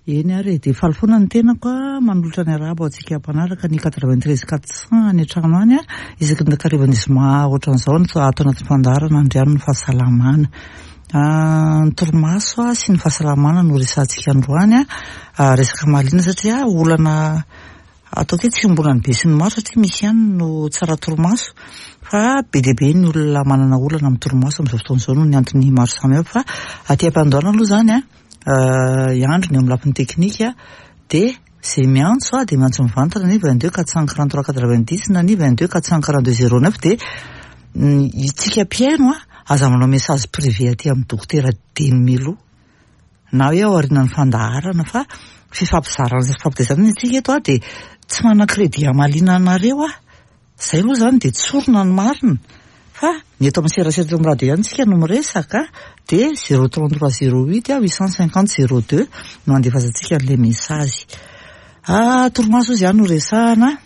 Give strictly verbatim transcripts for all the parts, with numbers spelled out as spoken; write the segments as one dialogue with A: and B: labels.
A: Eny ary e, dia faly foana ny tenako a, manolotra ny arahaba ho antsika mpanaraka ny quatre-vingt-treize quatre cents any an-trano any a, isaky ny takarivan'ny zoma ohatran'izao no ato anatin'ny fandaharana Andriano ny fahasalamana. Ny torimaso sy ny fahasalamana no resahantsika androany a, resaka mahaliana satria olana ataoko hoe tsy iombonan'ny be sy ny maro satria misy ihany no tsara torimaso fa be dia be ny olona manana olana amin'ny torimaso amin'izao fotoana izao noho ny antony maro samihafa. Fa aty am-piandohana aloha izany a, hiandry ny eo amin'ny lafiny teknika dia izay miantso a dia miantso mivantana ny vingt-deux quatre cent quarante-trois quatre-vingt-dix na ny vingt-deux quatre cent quarante-deux zéro neuf dia itsika mpihaino a aza manao message privé aty amin'ny dokotera Deny Milo na hoe ao aorianan'ny fandaharana fa fifampizarana sy fifampitaizana ny antsika eto a dia tsy manana crédit hamaliana anareo aho. Izay aloha izany dia tsorina ny marina fa ny eto amin'ny serasera eto amin'ny radio ihany tsika no miresaka dia zéro trente-trois zéro huit huit cent cinquante zéro deux no andefazantsika an'ilay message. Ah, torimaso izy ihany no resahana.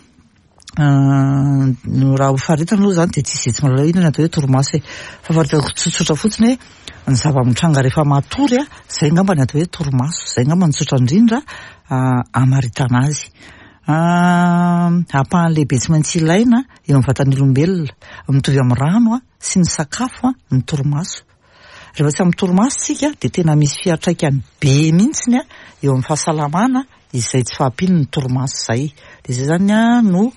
A: No raha ho faritana aloha izany dia tsisy izay tsy mahalala inona ny atao hoe torimaso e. Fa faritako tsotsotra fotsiny hoe ny zava-mitranga rehefa matory a, izay angamba ny atao hoe torimaso, izay angamba ny tsotra indrindra hamaritana azy. Ampahany lehibe tsy maintsy ilaina eo amin'ny vatan'ny olombelona, mitovy amin'ny rano sy ny sakafo ny torimaso. Rehefa tsy amin'ny torimaso tsika dia tena misy fiantraikany be mihitsiny eo amin'ny fahasalamana izay tsy fahampian'ny torimaso izay. Dia izay zany a no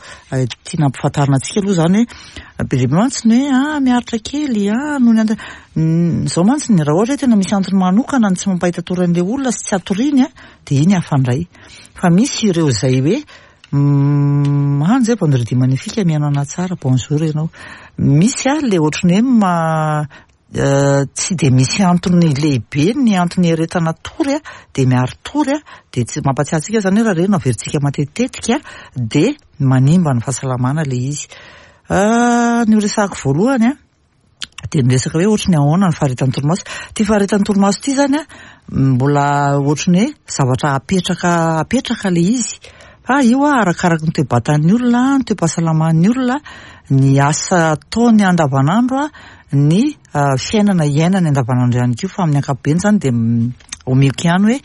A: tiana ampifantarina antsika aloha izany hoe be dia be mantsy ny hoe ah miaritra kely ah noho ny antony izao mantsy ny raha ohatra hoe tena misy antony manokana ny tsy mampahita tory an'ilay olona sy tsy atoriany a dia iny hafa indray. Fa misy ireo izay hoe manja vendredi magnifique mihaino anahy tsara, bonjour ianao. Misy a le ohatran'ny hoe ma tsy dia misy antony lehibe ny antony iaretana tory a dia miari-tory a dia tsy mampatsiahy antsika izany hoe raha ireny no averintsika matetitetika dia manimba ny fahasalamana ilay izy. Ny ho resahako voalohany a dia ny resaka hoe ohatran'ny ahoana ny faharetan'ny torimaso. Ity faharetan'ny torimaso ity zany a mbola ohatran'ny hoe zavatra apetraka apetraka ilay izy fa io a arakaraky ny toe-batan'ny olona, ny toe-pahasalaman'ny olona, ny asa ataony andavanandro a, ny fiainana iainany andavanandro ihany koa. Fa amin'ny ankapobeny zany dia omeko ihany hoe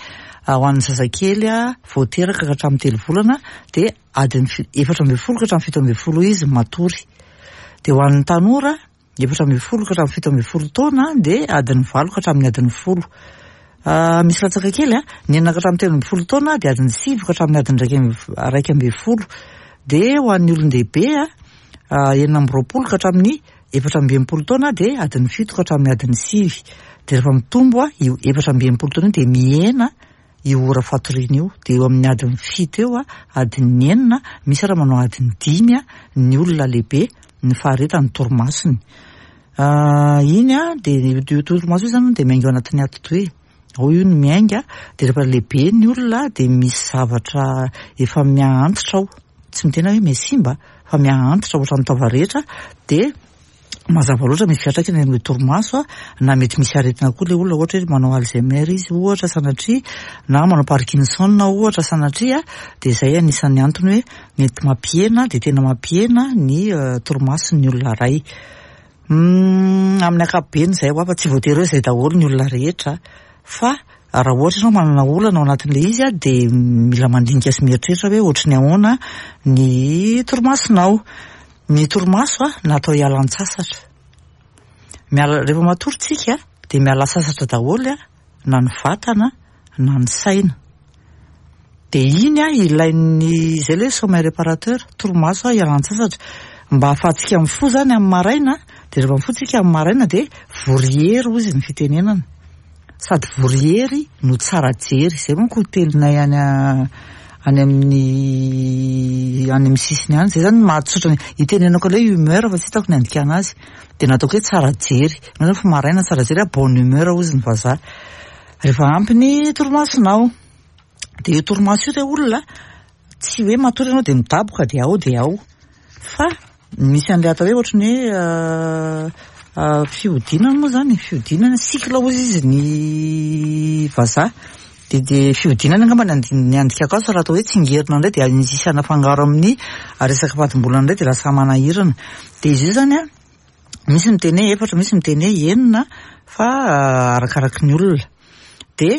A: ho an'ny zazakely a vao teraka ka hatramin'ny telo volana dia adiny efatra ambin'ny folo ka hatramin'ny fito ambin'ny folo izy matory. Dia ho an'ny tanora efatra ambin'ny folo ka hatramin'ny fito ambin'ny folo taona dia adiny valo ka hatramin'ny adiny folo. Misy latsaka kely a, ny enina ka hatramin'ny telo ambin'ny folo taona dia adiny sivy ka hatramin'ny adiny iraika ambin'ny folo. Dia ho an'ny olon-dehibe a enina amby roapolo ka hatramin'ny efatra amby enimpolo taona dia adiny fito ka hatramin'ny adiny sivy. Dia rehefa mitombo a io efatra amby enimpolo taona io dia mihena io ora fatoriana io, dia eo amin'ny adiny fito eo a, adiny enina, misy raha manao adiny dimy a ny olona lehibe ny faharetan'ny torimasony. Iny a dia io torimaso io zany dia miainga ao anatin'ny atidoha e. Ao io no miainga dia rehefa lehibe ny olona dia misy zavatra efa miha-antitra ao, tsy miteny hoe mihasimba fa miha-antitra ohatran'ny taova rehetra dia mazava loatra misy fiantraikany amin'ilay torimaso a, na mety misy aretina koa ilay olona, ohatra hoe manao Alzheimer izy ohatra sanatria, na manao Parkinson ohatra sanatria, dia izay anisan'ny antony hoe mety mampihena dia tena mampihena ny torimason'ny olona iray. Amin'ny ankapobeny izay ho afa tsy voatery hoe izay daholo ny olona rehetra fa raha ohatra ianao manana olana ao anatin'ilay izy a dia mila mandinika sy mieritreritra hoe ohatran'ny ahoana ny torimasonao. Ny torimaso a natao hialan-tsasatra. Miala rehefa matory tsika dia miala sasatra daholo a na ny vatana na ny saina. Dia iny a ilain'ny izay ilay hoe sommeil réparateur, torimaso a hialan-tsasatra mba ahafahantsika mifoha zany amin'ny maraina. Dia rehefa mifoha tsika amin'ny maraina dia vory hery hozy ny fitenenana, sady vory hery no tsara jery. Izay manko teninay any any amin'ny any amin'ny sisiny any. Izay zany mahatsotra ny itenenako ilay humeur fa tsy hitako ny andikana azy, dia nataoko hoe tsara jery. Ianao zany fa maraina tsara jery a, bonne humeur hozy ny vazaha rehefa ampy ny torimasonao. Dia io torimaso io re olona tsy hoe matory ianao dia midaboka dia ao dia ao, fa misy an'ilay atao hoe ohatran'ny hoe fihodinana moa zany, fihodinana cycle hozy izy ny vazaha. Dia dia fihodinana angamba ny andi- ny andikako azy, fa raha atao hoe tsingerina indray dia misy anafangaro amin'ny resaka fadimbolana indray dia lasa manahirana. Dia izy io zany a misy miteny hoe efatra, misy miteny hoe enina, fa arakaraky ny olona. Dia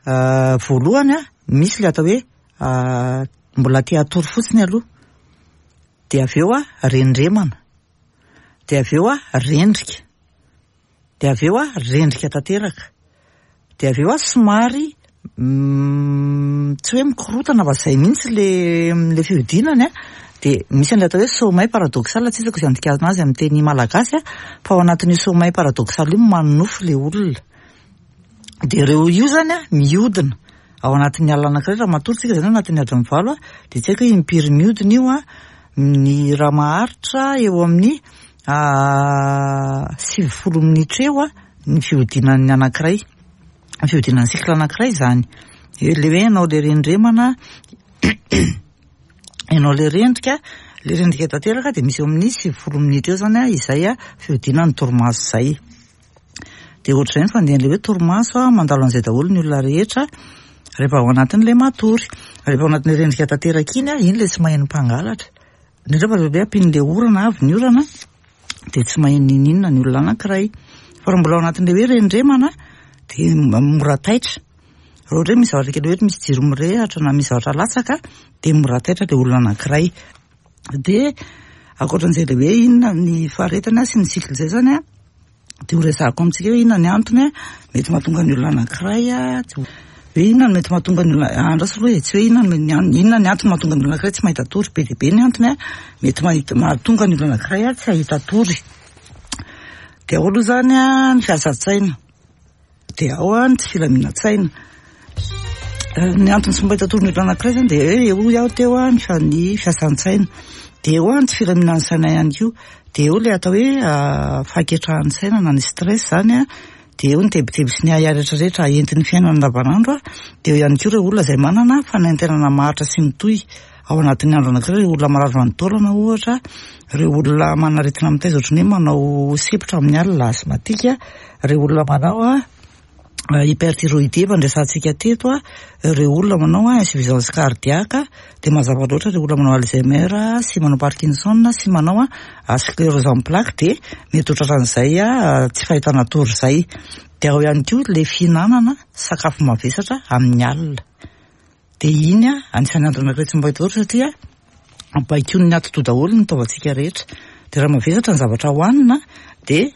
A: Voalohany a, misy le atao hoe mbola te hatory fotsiny aloha, de avy eo a rendremana, de avy eo a rendrika, de avy eo a rendrika tanteraka, de avy eo a somary tsy hoe mikorotana fa zay mihitsy le le fihodinany a, de misy an'ilay atao hoe sommeil paradoxal, tsy hitako izay andikana azy amin'ny teny malagasy a, fa ao anatin'io sommeil paradoxal io manonofy le olona. De ireo io zany a mihodina ao anatin'ny alina anankiray, raha matory tsika zany ao anatin'ny adiny valo a, de tsy haiko hoe impiry mihodina io a, ny raha maharitra eo amin'ny sivifolo minitra eo a ny fihodinan'ny anankiray, ny fihodinan'ny cycle anankiray zany. Le hoe ianao le rendremana, ianao le rendrika, le rendrika tanteraka de misy eo amin'ny sivifolo minitra eo zany a izay a fihodinan'ny torimaso zay. De ohatr'izay ny fandehan'le hoe torimaso a, mandalo an'izay daholo ny olona rehetra rehefa ao anatin'le matory. Rehefa ao anatin'le rendrika tanteraka iny a, iny le tsy maheno mpangalatra. Indrindra fa rehefa hoe ampian'le orana, avy ny orana, de tsy maheno n'inon'inona ny olona anankiray. Fa raha mbola ao anatin'le hoe rendremana de mora taitra. Raha ohatra hoe misy zavatra kely hoe misy jiro mirehatra na misy zavatra latsaka de mora taitra le olona anankiray. De ankoatran'izay le hoe inona ny faharetana sy ny cycle zay zany a, de ho resahako amintsika hoe inona ny antony a mety mahatonga ny olona anankiray a, hoe inona no mety mahatonga ny olona, andraso aloha e, tsy hoe inona ny an-, inona ny antony mahatonga ny olona anankiray tsy mahita tory, be dia be ny antony a mety mahita, mahatonga ny olona anankiray a tsy hahita tory. De ao aloha zany a ny fiasan-tsaina, de ao a ny tsy filaminan-tsaina. Ny antony tsy mahita tory ny olona anankiray zany de hoe hoy aho teo a ny fa-, ny fiasan-tsaina, de eo a ny tsy filaminan'ny saina ihany koa, de eo le atao hoe fahaketrahan'ny saina na ny stress zany a, de eo ny tebiteby sy ny ahiahy rehetrarehetra entin'ny fiainana andavanandro a, de eo ihany koa ireo olona izay manana fanaintainana maharitra sy mitohy ao anatin'ny andro anankiray, ireo olona marary vanin-taolana ohatra, ireo olona manana aretina mitaiza ohatran'ny hoe manao sepotra amin'ny alina asthmatique, ireo olona manao a hyperthyroïdie efa noresahantsika teto a, ireo olona manao a insuffisance cardiaque, de mazava loatra ireo olona manao Alzheimer sy manao Parkinson sy manao a sclérose en plaques de mety ho tratran'izay a tsy fahitana tory zay. De ao ihany koa le fihinanana sakafo mavesatra amin'ny alina. De iny a anisan'ny antony anankiray tsy mahita tory satria baikoin'ny atidoha daholo ny taovantsika rehetra. De raha mavesatra ny zavatra hohanina de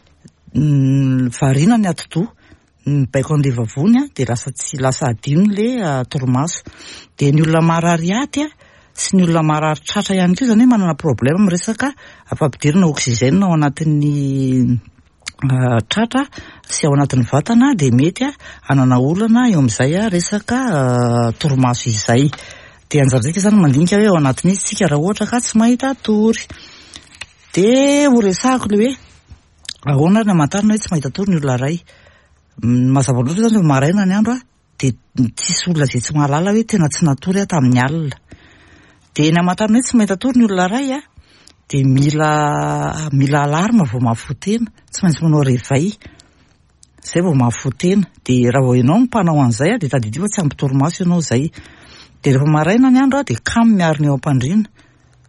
A: variana ny atidoha, mibaiko an'le vavony a, de lasa tsy lasa adino le torimaso. De ny olona marary aty a sy ny olona marary tratra ihany koa zany hoe manana problème amin'ny resaka fampidirana oxygène ao anatin'ny tratra sy ao anatin'ny vatana, de mety a hanana olana eo amin'izay a resaka torimaso izay. De anjarantsika zany mandinika hoe ao anatin'izy tsika raha ohatra ka tsy mahita tory. De ho resahako le hoe ahoana ary ny hamantarana hoe tsy mahita tory ny olona iray. Mazava loatra zany rehefa maraina ny andro a, de tsisy olona izay tsy mahalala hoe tena tsy natory aho tamin'ny alina. De ny hamantarana hoe tsy mahita tory ny olona iray a, de mila mila alarme vao mahafoha tena, tsy maintsy manao réveil zay vao mahafoha tena. De raha vao ianao no mpanao an'izay a, de tadidio fa tsy ampy torimaso ianao zay. De rehefa maraina ny andro a, de kamo miarina eo am-pandriana,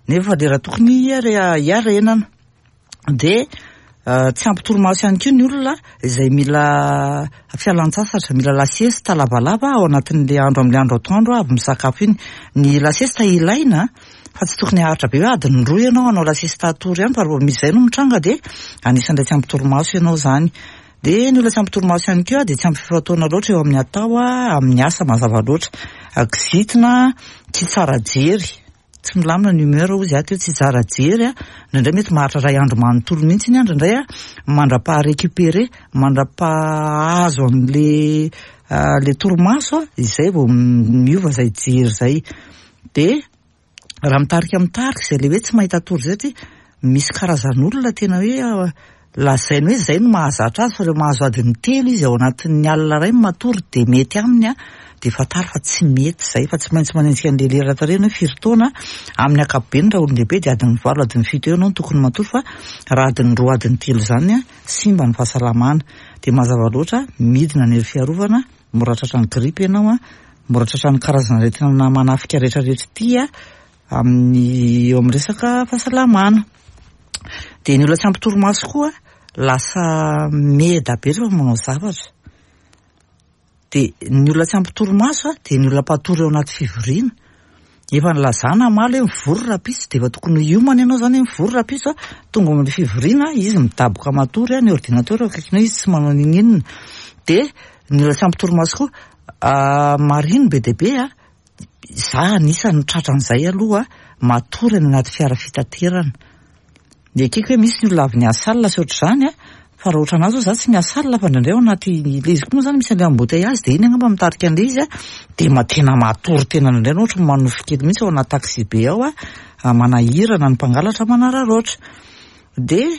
A: nefa lera tokony hiare- hiarenana. De tsy ampy torimaso ihany koa ny olona izay mila fialan-tsasatra, mila la sieste lavalava ao anatin'le andro, amin'le andro atoandro avy misakafo iny. Ny la sieste ilaina fa tsy tokony haharitra be hoe adiny roa ianao hanao la sieste hatory ihany, fa raha vao misy izay no mitranga de anisan'ilay tsy ampy torimaso ianao zany. De ny olona tsy ampy torimaso ihany koa de tsy ampy fifantohana loatra eo amin'ny atao a, amin'ny asa mazava loatra. Kizitina, tsy tsara jery, tsy milamina ny humeur hozy ato hoe tsy tsara jery a, indraindray mety maharitra iray andro manontolo mihitsy iny a, indraindray a mandra-paha-récupérer, mandra-pahazo an'le le torimaso a, izay vao miova izay jery izay. De raha mitarika mitarika izay le hoe tsy mahita tory zay satria misy karazan'olona tena hoe lazainy hoe zay no mahazatra azy, fa rehefa mahazo adiny telo izy ao anatin'ny alina iray matory de mety aminy a, de fantaro fa tsy mety zay, fa tsy maintsy manenjika an'le lera tarehiny hoe firy taona. Amin'ny ankapobeny raha olon-dehibe de adiny valo, adiny fito eo ianao no tokony matory, fa raha adiny roa, adiny telo zany a simba ny fahasalamana. De mazava loatra midina ny hery fiarovana, mora tratran'ny grippe ianao a, mora tratran'ny karazana aretina manafika rehetrarehetra ity a amin'ny eo amin'ny resaka fahasalamana. De ny olona tsy ampy torimaso koa lasa meda be rehefa manao zavatra. Dia ny olona tsy ampy torimaso a, dia ny olona mpatory ao anaty fivoriana. Efa nilazana omaly hoe mivory rahampitso, dia efa tokony hiomana ianao izany hoe mivory rahampitso a, tonga amin'ny fivoriana izy midaboka matory a, ny ordinateur eo akaikinao izy tsy manao n'inon'inona. Dia ny olona tsy ampy torimaso koa, marino be dia be a, za anisan'ny tratran'izay aloha, matory any anaty fiara fitaterana. Dia ekeko hoe misy ny olona avy niasa alina sy ohatr'izany a, fa raha ohatra anazy zao za tsy miasa alina fa indraindray ao anaty ilay izy koa moa zany misy an'ilay embouteillage, dia iny angamba mitarika an'ilay izy a, dia ma- tena matory tena indraindray ianao ohatry ny manofy kely mihitsy ao anaty taxi be ao a, manahirana ny mpangalatra manararaotra. Dia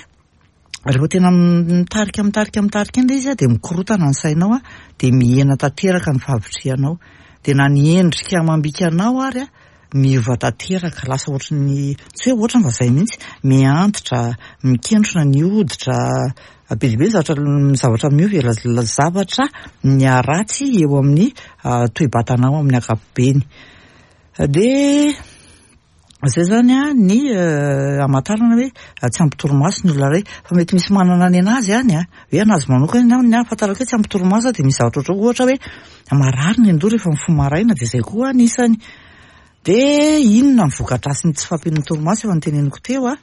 A: rehefa tena mitarika mitarika mitarika iny ilay izy a, dia mikorotana ny sainao a, dia mihena tanteraka ny fahavitrihanao. Dia na ny endrika amam-bika anao ary a, miova tanteraka, lasa ohatry ny, tsy hoe ohatrany fa zay mihitsy, mihantitra, mikentrona ny hoditra, be dia be ny zavatra ny zavatra miova e, zavatra miharatsy eo amin'ny toe-batanao amin'ny ankapobeny. Dia zay zany a ny hamantarana hoe tsy ampy torimaso ny olona iray, fa mety misy manana ny anazy any a, hoe anazy manokana ny ahafantarako hoe tsy ampy torimaso dia misy zavatra ohatra ohatra hoe marary ny andoha rehefa mifoha maraina, dia zay koa anisany. Dia inona ny voka-dratsin'ny tsy fahampian'ny torimaso efa noteneniko teo a,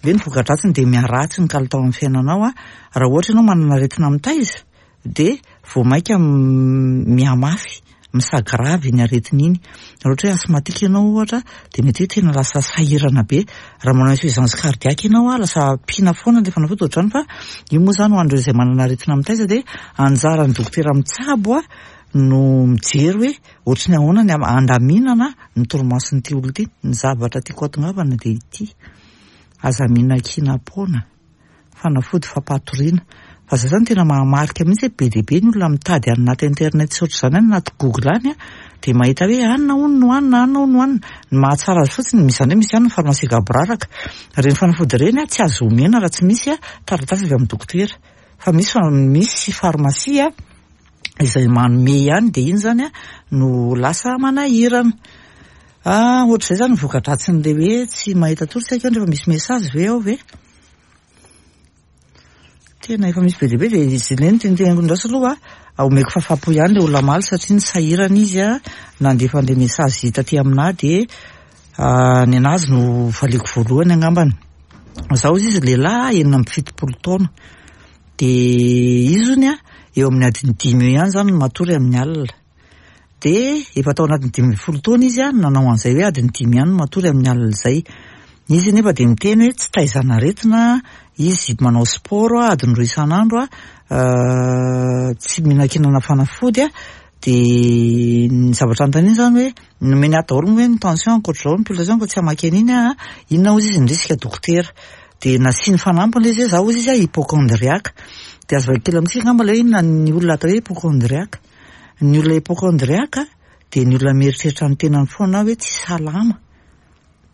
A: dia ny voka-dratsiny dia miharatsy ny kalitao amin'ny fiainanao a, raha ohatra ianao manana aretina mitaiza dia vao mainka mihamafy, misagravy iny aretina iny. Raha ohatra hoe asthmatique ianao ohatra dia mety hoe tena lasa sahirana be. Raha manao insuffisance cardiaque ianao a, lasa ampiana foana ilay fanafody ohatr'izany, fa io moa zany ho an'ireo izay manana aretina mitaiza dia anjaran'ny dokotera mitsabo a no mijery hoe ohatry ny ahoana ny andaminana ny torimason'ity olona ity. Ny zavatra tiako hatongavana dia ity: aza mihinan-kinam-poana fanafody fampatoriana, fa zay zany tena mahamarika mihitsy hoe be dia be ny olona mitady any anaty internet sy ohatr'izany any anaty Google any a, dia mahita hoe anona hono no hohanina, anona hono no hohanina. Ny mahatsara azy fotsiny, misy izany hoe misy ihany ny pharmacie gaboraraka, ireny fanafody ireny a tsy azo omena raha tsy misy a taratasy avy amin'ny dokotera, fa misy misy pharmacie izay manome ihany, dia iny zany a no lasa manahirana. Ah, ohatr'izay zany ny voka-dratsin'ilay hoe tsy mahita tory. Tsy haiko rehefa misy message ve ao ve? Tena efa misy be dia be, dia izy ireny teniteneniko ndraso aloha a, omeko fahafapo ihany ilay olona omaly satria nisahirana izy a nandefa an'ilay message taty aminahy, dia ny anazy no valiako voalohany angambany. Zaho izy izy lehilahy enina amby fitopolo taona, dia izy zony a eo amin'ny adiny dimy eo ihany zany no matory amin'ny alina. Dia efa tao anatin'ny dimy ambin'ny folo taona izy a nanao an'izay hoe adiny dimy ihany no matory amin'ny alina izay. Izy nefa dia miteny hoe tsy taizana aretina, izy manao sport adiny roa isan'andro a, tsy mihinan-kinana fanafody a. Dia ny zavatra anontaniana zany hoe nomeny ahy daholo moa hoe ny tension ankoatr'izao, ny pulsation, fa tsy hamaky an'iny aho a, inona hozy izy ny risque dokotera. Dia nasiany fanampiny ilay izy hoe zaho hozy izy a hypocondriaque. Dia azo vaky kely amintsika angamba ilay hoe inona ny olona atao hoe hypocondriaque. Ny olona hypocondriaque dia ny olona mieritreritra ny tenany foana hoe tsy salama,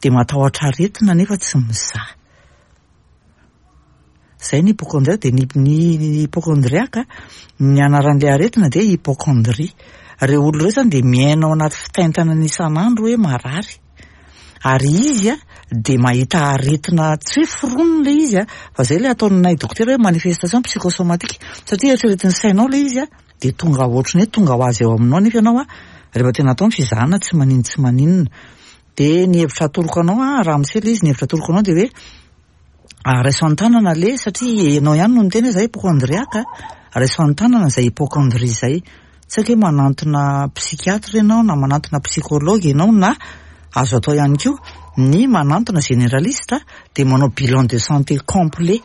A: dia matahotra aretina nefa tsy mizaha. Zay ny hypocondriaque. Dia ny ny hypocondriaque, ny anaran'ilay aretina dia hypocondrie. Ireo olona ireo zany dia miaina ao anaty fitaintainana isan'andro hoe marary, ary izy a dia mahita aretina tsy hoe foronina ilay izy a, fa zay ilay ataonay dokotera hoe manifestation psychosomatique, satria eritreretin'ny sainao ilay izy a dia tonga ohatrany hoe tonga ho azy eo aminao, nefa ianao a rehefa tena atao ny fizahana tsy maninona tsy maninona. Dia ny hevitra atoroko anao a, raha misy ilay izy, ny hevitra atoroko anao dia hoe raiso an-tanana le, satria ianao ihany no niteny hoe zay hypocondriaque, raiso an-tanana izay hypocondrie izay. Tsy haiko hoe manantona psychiatre ianao na manantona psychologue ianao, na azo atao ihany koa ny manantona généraliste dia manao bilan de santé complet,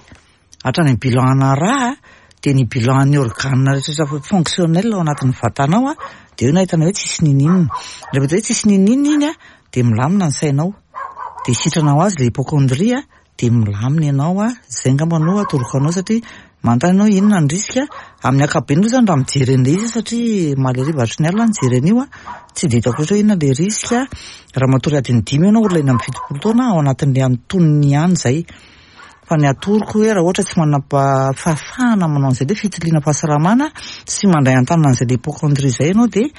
A: hatrany amin'ny bilan ana rà, dia ny bilan ny organe rehetra fonctionnel ao anatin'ny vatanao a, dia eo no ahitana hoe tsisy nininona. Rehefa hoe tsisy nininona iny a, dia milamina ny sainao, dia sitrana ho azy ilay hypocondrie a, dia milamina ianao a. Zay angamba no atoroko anao, satria manontany ianao inona ny risque amin'ny ankapobeny aloha zany raha mijery an'ilay izy, satria omaly hariva hatry ny alina nijery an'io a, tsy dia hitako loatra hoe inona ilay risque raha matory adiny dimy ianao olona enina amby fitopolo taona, ao anatin'ilay antonony ihany zay. Fa ny atoroko hoe raha ohatra tsy manana fahafahana manao an'izay ilay fitiliana fahasalamana sy mandray an-tanana an'izay ilay hypocondrie izay ianao, dia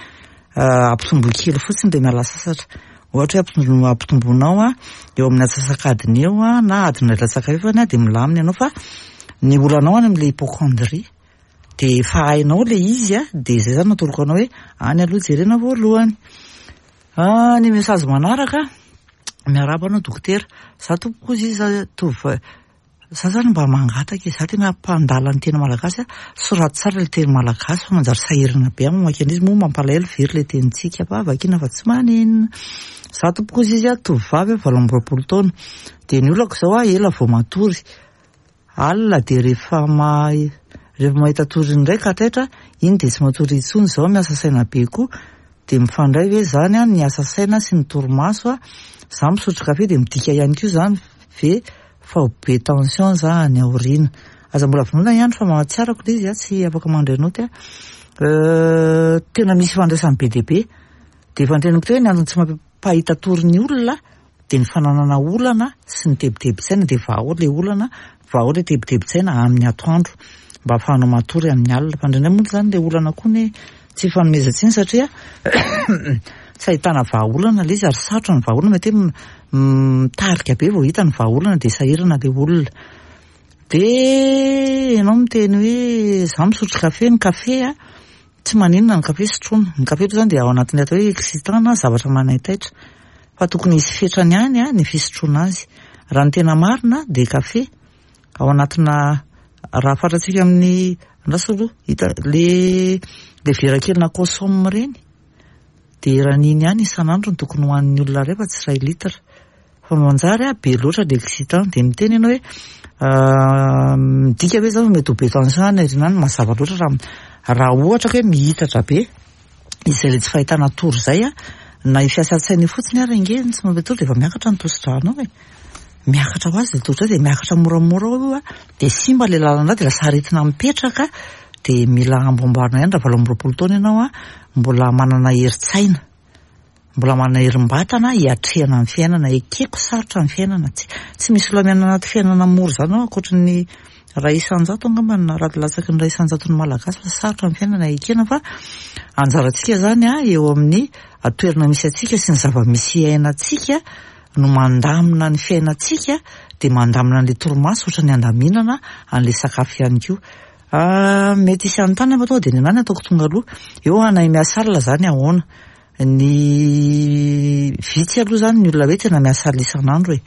A: ampitomboy kely fotsiny dia miala sasatra. Ohatra hoe ampitomboinao a eo amin'ny antsasak'adiny eo a, na adiny iray latsaka fahefany a, dia milamina ianao, fa ny olanao any amin'ilay hypocondrie. Dia efa hainao ilay izy a, dia izay izany no atoroko anao hoe any aloha jerena voalohany. Ah, ny message manaraka, miarahaba anao dokotera, za tompoko hozy izy tovovavy, za zany mba mangataka e, za tena mpandala ny teny malagasy a, soraty tsara ilay teny malagasy fa manjary sahirana be aho mamaky an'izy, moa mampalahelo very ilay tenintsika fa vakina fa tsy maninona. Za tompoko hozy izy a, tovovavy valo amby roapolo taona, dia ny olako izao a, ela vao matory, alina dia rehefa ma rehefa mahita tory indray ka taitra, iny dia tsy matory intsony, izao miasa saina be koa, dia mifandray ve izany a ny asa saina sy ny torimaso a, za misotro kafe dia midika ihany koa izany ve fa ho be tension za any aoriana. Aza mbola vonoina ihany fa mahatsiaro ako ilay izy a, tsy afaka mandray naoty a. Tena misy ifandraisany be dia be. Dia efa noteneniko teo hoe ny antony tsy mampahita tory ny olona dia ny fananana olana sy ny tebitebin-tsaina, dia vahao ilay olana, vahao ilay tebitebin-tsaina amin'ny atoandro mba ahafahanao matory amin'ny alina. Fa indraindray moa izany ilay olana koa anie tsy ifanomezan-tsiny satria tsy ahitana vahaolana ilay izy ary sarotra ny vahaolana, mety hoe mitarika be vao hita ny vahaolana dia sahirana ilay olona. Dia ianao miteny hoe za misotro kafe, ny kafe a tsy maninona ny kafe sotroina, ny kafe aloha izany dia ao anatin'ny atao hoe excitant na zavatra manaitaitra, fa tokony hisy fetrany ihany a ny fisotroana azy. Raha ny tena marina dia kafe ao anatina raha fantatsika amin'ny andraso aloha hita le le vera kely na consomme ireny dia eran'iny ihany isan'andro no tokony hohanin'ny olona iray fa tsy iray litre. Fa manjary a be loatra le excitant, dia miteny ianao hoe midika ve zany fa mety ho be tension any aoriana any, mazava loatra raha raha ohatra ka hoe mihitatra be izay le tsy fahitana tory izay a, na io fiasan-tsaina io fotsiny ary ange tsy mampy tory dia efa miakatra ny tosi-dranao e. Miakatra ho azy ilay tosi-dra dia miakatra moramora ao io a, dia simba ilay lalan-dra dia lasa aretina mipetraka, dia mila amboamboarina ihany raha valo amby roapolo taona ianao a, mbola manana herin-tsaina, mbola manana herim-batana hiatrehana ny fiainana. Ekeko sarotra ny fiainana, tsy tsy misy olona miaina anaty fiainana mora izany ao ankoatry ny iray isan-jato angamba na raha latsaky ny iray isan-jaton'ny malagasy fa sarotra ny fiainana ekena, fa anjarantsika izany a eo amin'ny toerana misy antsika sy ny zava-misy iainantsika no mandamina ny fiainantsika, dia mandamina an'ilay torimaso ohatra ny andaminana an'ilay sakafo ihany koa. Ah, mety hisy anontany fa tonga dia ny anah no ataoko tonga aloha. Eo anay miasa alina izany ahoana? Ny vitsy aloha izany ny olona hoe tena miasa alina isan'andro e.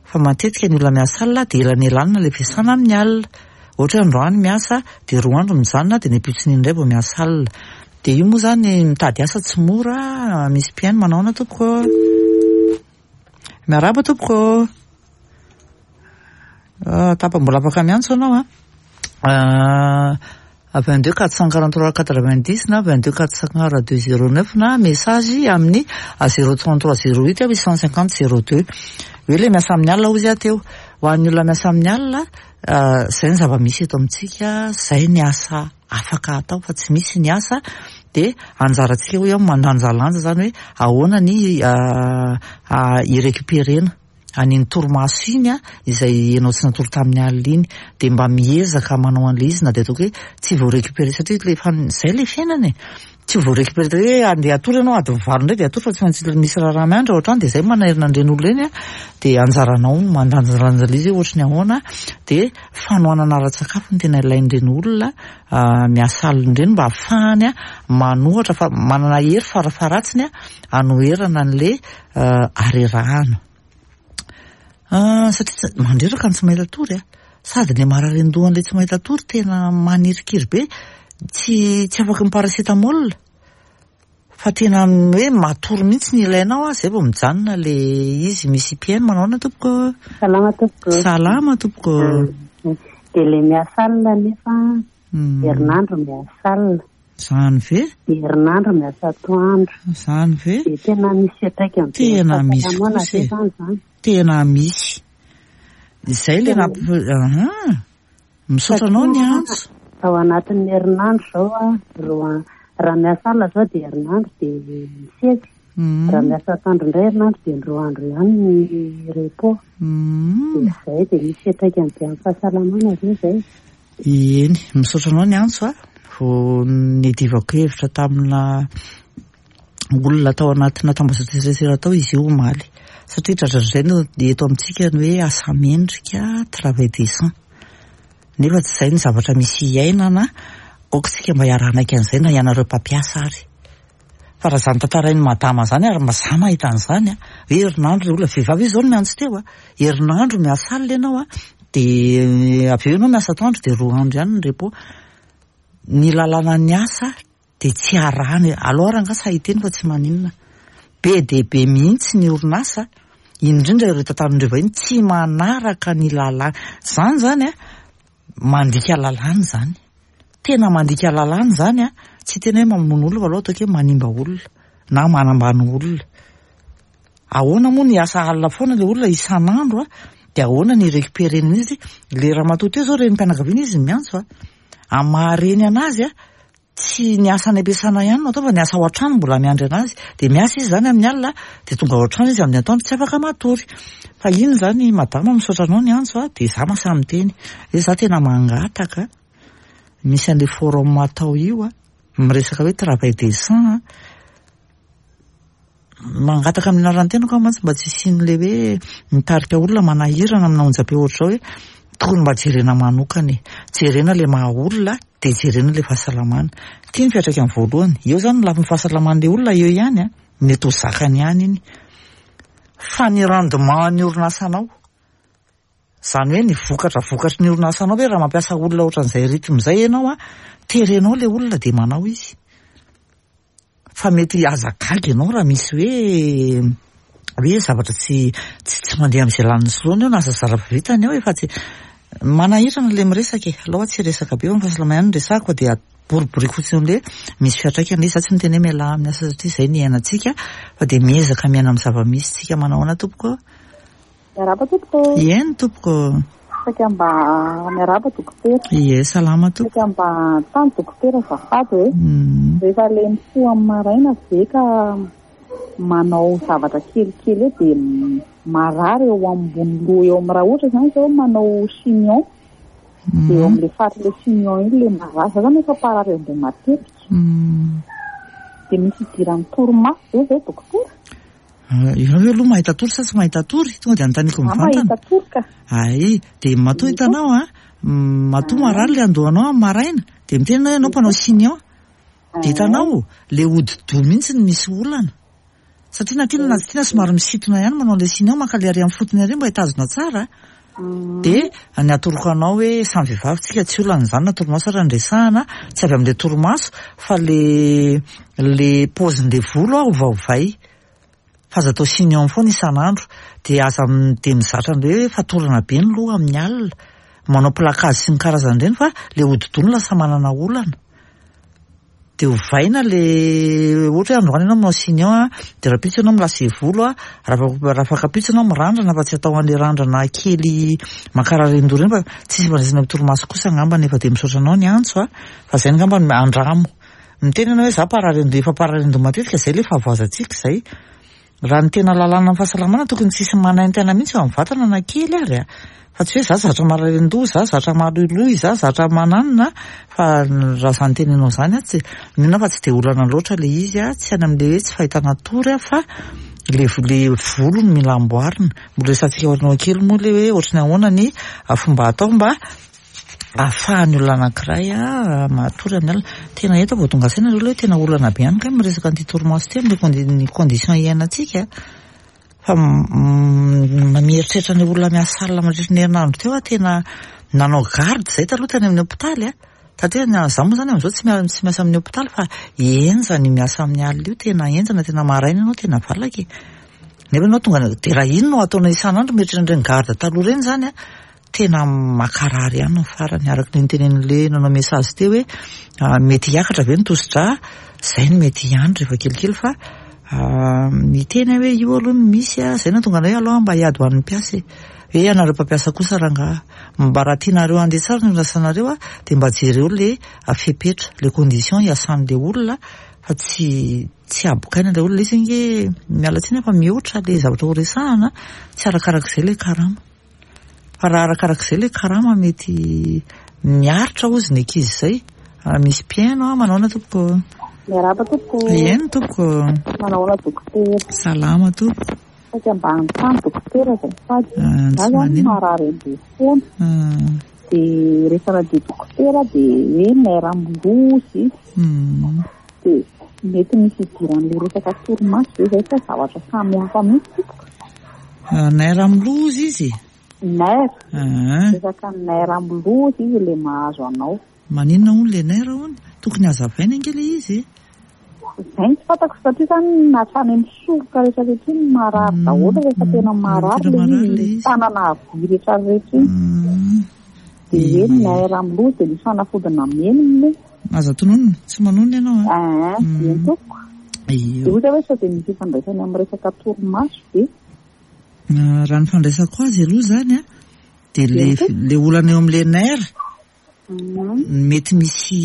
A: Fa matetika ny olona miasa alina dia elanelanina ilay fiasana amin'ny alina. Ohatra hoe androany miasa dia roa andro mijanona dia ny ampitsony indray vao miasa alina. Dia io moa izany mitady asa tsy mora, misy mpihaino manao ahoana tompoko? Miarahaba tompoko. Ah, tapa mbola afaka miantso ianao a. Ah, vingt-deux quatre cent quarante-trois quatre-vingt-dix na vingt-deux quatre cent quarante-deux zéro neuf na message amin'ny zéro trente-trois zéro huit huit cent cinquante zéro deux. Hoe ilay miasa amin'ny alina hozy aho teo. Ho an'ny olona miasa amin'ny alina, izay ny zava-misy eto amintsika, izay ny asa afaka atao fa tsy misy ny asa, dia anjarantsika hoy aho mandanjalanja izany hoe ahoana ny hi-récupérer-na an'iny torimaso iny a, izay ianao tsy natory tamin'ny alina iny, dia mba miezaka manao an'ilay izy na dia ataoko hoe tsy vao récupérer satria le fa izay ilay fiainana e, tsy vao récupérer hoe andeha hatory ianao adiny valo indray dia hatory fa tsy maintsy misy raharaha miandry ao an-trano, dia izay manairina an'ireny olona ireny a, dia anjaranao mandanjalanja ilay izy hoe ohatry ny ahoana, dia fanohanana ara-tsakafo no tena ilain'ireny olona miasa alina ireny mba ahafahany a manohatra fa manana hery farafaharatsiny a hanoherana an'ilay harerahana. Ah, satria tsy mandreraka ny tsy mahita tory a, sady ilay marary an-dohan'ilay tsy mahita tory tena manirikiry be, tsy tsy afaky ny paracétamol fa tena hoe matory mihitsy ny ilainao a, zay vao mijanona le izy. Misy mpihaino manao ahoana tompoko?
B: Salama tompoko.
A: Salama tompoko.
B: Dia ilay miasa alina nefa herinandro miasa alina.
A: Zany ve?
B: Dia herinandro miasa atoandro.
A: Zany ve?
B: Dia tena misy fiantraikany be
A: Tena misy
B: fahasalamana
A: kosa
B: ve
A: e.
B: zany zany?
A: Tena misy. Izay le namp- aha. Misaotra anao ny antso.
B: Ao anatin'ny herinandro izao a, roa raha miasa alina izao dia herinandro dia misesy.
A: Mm.
B: Raha miasa atoandro indray herinandro dia ny roa andro ihany ny repos.
A: Mm.
B: Dia izay dia misy fiantraikany be amin'ny fahasalamana ve izay?
A: Eny, misaotra anao ny antso a. Vao nidivako hevitra tamina olona tao anatina tambazotran-tserasera tao izy io omaly. Satria dradradraina no eto amintsika ny hoe asa mendrika, travail décent. Nefa tsy izay ny zavatra misy iainana Aoka isika mba hiara-hanaiky an'izay na ianareo mpampiasa ary. Fa raha izany tantarain'i madama izany ary za mahita an'izany a, hoe herinandro ilay olona, vehivavy izy izao no miantso teo a, herinandro miasa alina ianao a, dia avy eo ianao miasa atoandro dia roa andro ihany ny repos. Ny lalàna ny asa dia tsy arahana. Aleo ary angaha sahy hiteny fa tsy maninona. Be dia be mihitsy ny orinasa, indrindra ireo tantaran'ireo vahiny, tsy manaraka ny lalàna. Izany izany a, mandika lalàna izany. Tena mandika lalàna izany a, tsy tena hoe mamono olona fa aloha ataoko hoe manimba olona na manambany olona. Ahoana moa ny asa alina foana ilay olona isan'andro a, dia ahoana ny récupérer-na izy? Ilay ramatoa teo izao renim-pianakaviana izy miantso a, amin'ny maha-reny anazy a, tsy ny asa any am-piasana ihany no atao fa ny asa ao an-trano mbola miandry anazy. Dia miasa izy izany amin'ny alina, dia tonga ao an-trano izy amin'ny atoandro tsy afaka matory. Fa iny izany madama misaotra anao ny antso a, dia za mahasahy miteny hoe za tena mangataka misy an'ilay forum atao io a, miresaka hoe travail décent a. Mangataka amin'ny anaran'ny tenako aho mantsy mba tsy hisian'ilay hoe mitarika olona manahirana amina onjam-peo ohatr'izao hoe tokony mba jerena manokana e. Jerena ilay maha olona dia jerena ilay fahasalamana. Ity ny fiantraikany voalohany. Eo izany ny lafiny fahasalaman'ilay olona eo ihany a, mety ho zakany ihany iny. Fa ny rendement ny orinasanao, izany hoe ny vokatra vokatry ny orinasanao hoe raha mampiasa olona ohatran'izay rythme izay ianao a, terenao ilay olona dia manao izy. Fa mety aza gaga ianao raha misy hoe hoe zavatra tsy tsy tsy mandeha amin'izay laniny sy laoniny eo na aza zara vitany eo efa tsy manahirana ilay miresaka e. Aleo tsy hiresaka be fa ny fahasalamana ihany no resahako fa dia boriboriko fotsiny amin'ilay hoe misy fiantraikany izy. Za tsy miteny hoe mialà amin'ny asa satria izay ny iainantsika fa dia miezaka miaina amin'ny zava-misy tsika. Manao ahoana tompoko?
C: Miarahaba tompoko.
A: Eny tompoko.
C: Saika mba miarahaba dokotera.
A: Ie, salama tompoko.
C: Saika mba tany dokotera azafady hoe rehefa ilay mifoha amin'ny maraina ve ka manao zavatra kelikely eo dia marary eo ambony loha eo amin'ny raha ohatra izany izao manao chignon dia eo amin'ilay faritra ilay chignon iny ilay marary. Za zany efa mparary andoha matetika. Dia misy idiran'ny torimaso ve izay dokotera?
A: Ianao ve aloha mahita tory sa tsy mahita tory? Tonga dia anontaniako
C: Za
A: mivantana.
C: mahita tory ka.
A: Ay, dia matoa hitanao a, matoa marary ilay andohanao amin'ny maraina, dia miteny ianao ianao mpanao chignon. Dia hitanao, ilay hodi-doha mihitsy no misy olana. Satria na tiana na tsy tiana somary misintona ihany manao ilay chignon, maka ilay ary amin'ny fotony ary mba hitazona tsara. Dia ny atoroko anao hoe samy vehivavy tsika tsy olana izany na torimaso ary andresahana, tsy avy amin'ilay torimaso fa le le paozin'ilay volo a ovaovay. Fa aza atao chignon foana isan'andro. Dia aza dia mizatra an'ilay hoe fatorana be ny loha amin'ny alina. Manao plakage sy ny karazan'ireny fa ilay hodi-doha no lasa manana olana. Dia ovaina le ohatra hoe androany ianao manao chignon a, dia rahampitso ianao milase volo a, raha afaka-pitso ianao mirandrana fa tsy atao an'ilay randrana kely mankarary an-doha ireny fa tsisy ifandraisana amin'ny torimaso kosa angamba nefa dia misaotra anao ny antso a, fa izay angamba no andramo. Miteny ianao hoe za mparary an-doha, efa mparary an-doha matetika, izay ilay fahavoazantsika izay. Raha ny tena lalàna amin'ny fahasalamana tokony tsisy manaintaina mihitsy eo amin'ny vatana na kely ary a. Fa tsy hoe za zatra marary an-doha, za zatra maloiloy, za zatra mananona, fa raha izany teninao izany a, tsy mino aho fa tsy dia olana loatra ilay izy a, tsy any amin'ilay hoe tsy fahitana tory a, fa le le volo no mila amboarina. Mbola resahantsika aoriana kely moa ilay hoe ohatry ny ahoana ny fomba atao mba ahafahan'ny olona anankiray a matory amin'ny alina. Tena eto vao tonga saina aloha hoe tena olana be ihany kay miresaka an'ity torimaso ity amin'ilay condition iainantsika. Fa mieritreritra ny olona miasa alina mandritra ny herinandro teo aho, tena nanao garde izay taloha tany amin'ny hôpitaly a. Satria za moa zany amin'izao tsy tsy miasa amin'ny hôpitaly fa henjana io miasa amin'ny alina io, tena henjana, tena maraina ianao tena valaka e. Nefa ianao tonga dia raha iny no ataonao isan'andro mieritreritra an'ireny garde taloha ireny izany a, tena makarary ihany ny farany. Araka ny nitenenin'ilay nanao message teo hoe mety hiakatra ve ny tosi-drà, izay no mety ihany rehefa kelikely fa miteny aho hoe io aloha no misy a, izay no nahatonga anay hoe aloha mba hiady ho an'ny mpiasa e. Hoe ianareo mpampiasa kosa rangaha, mba raha tianareo handeha tsara ny orinasanareo a, dia mba jereo le fepetra, le condition hiasan'ilay olona fa tsy tsy abokaina ilay olona. Izy ange miala tsiny fa mihoatra le zavatra ho resahana, tsy arakarak'izay ilay karama. Fa raha arakarak'izay ilay karama mety miaritra hozy ny ankizy izay. Misy mpihaino a, manao ahoana tompoko?
C: Miarahaba tompoko.
A: Eny tompoko.
C: Manao ahoana dokotera?
A: Salama tompoko.
C: Saika mba hanontany dokotera azafady.
A: Ah,
C: Za
A: tsy
C: zany
A: maninona.
C: marary andoha foana.
A: Ah.
C: Dia rehefa nandeha dokotera dia hoe nerf amin'ny loha izy. Dia mety misy idiran'ilay resaka torimaso ve izay sa zavatra samy hafa mihitsy tompoko?
A: Nerf amin'ny loha izy?
C: Nerf. Resaka nerf amin'ny loha izy ilay mahazo anao.
A: Maninona hono ilay nerf hono? Tokony hazavaina ange ilay izy.
C: Izay no tsy fantako satria izany hatrany amin'ny soroka rehetra rehetra iny marary daholo rehefa tena marary ilay izy, tanana havia rehetra rehetra iny. Dia hoe nerf amin'ny loha dia misy fanafody nameno moa.
A: Aza tononina, tsy manonona ianao a.
C: Ah, eny tompoko. Dia ohatra hoe sao dia misy ifandraisany amin'ny resaka torimaso ve?
A: Raha ny fandraisako azy aloha izany a, dia le olana eo amin'ilay nerf mety misy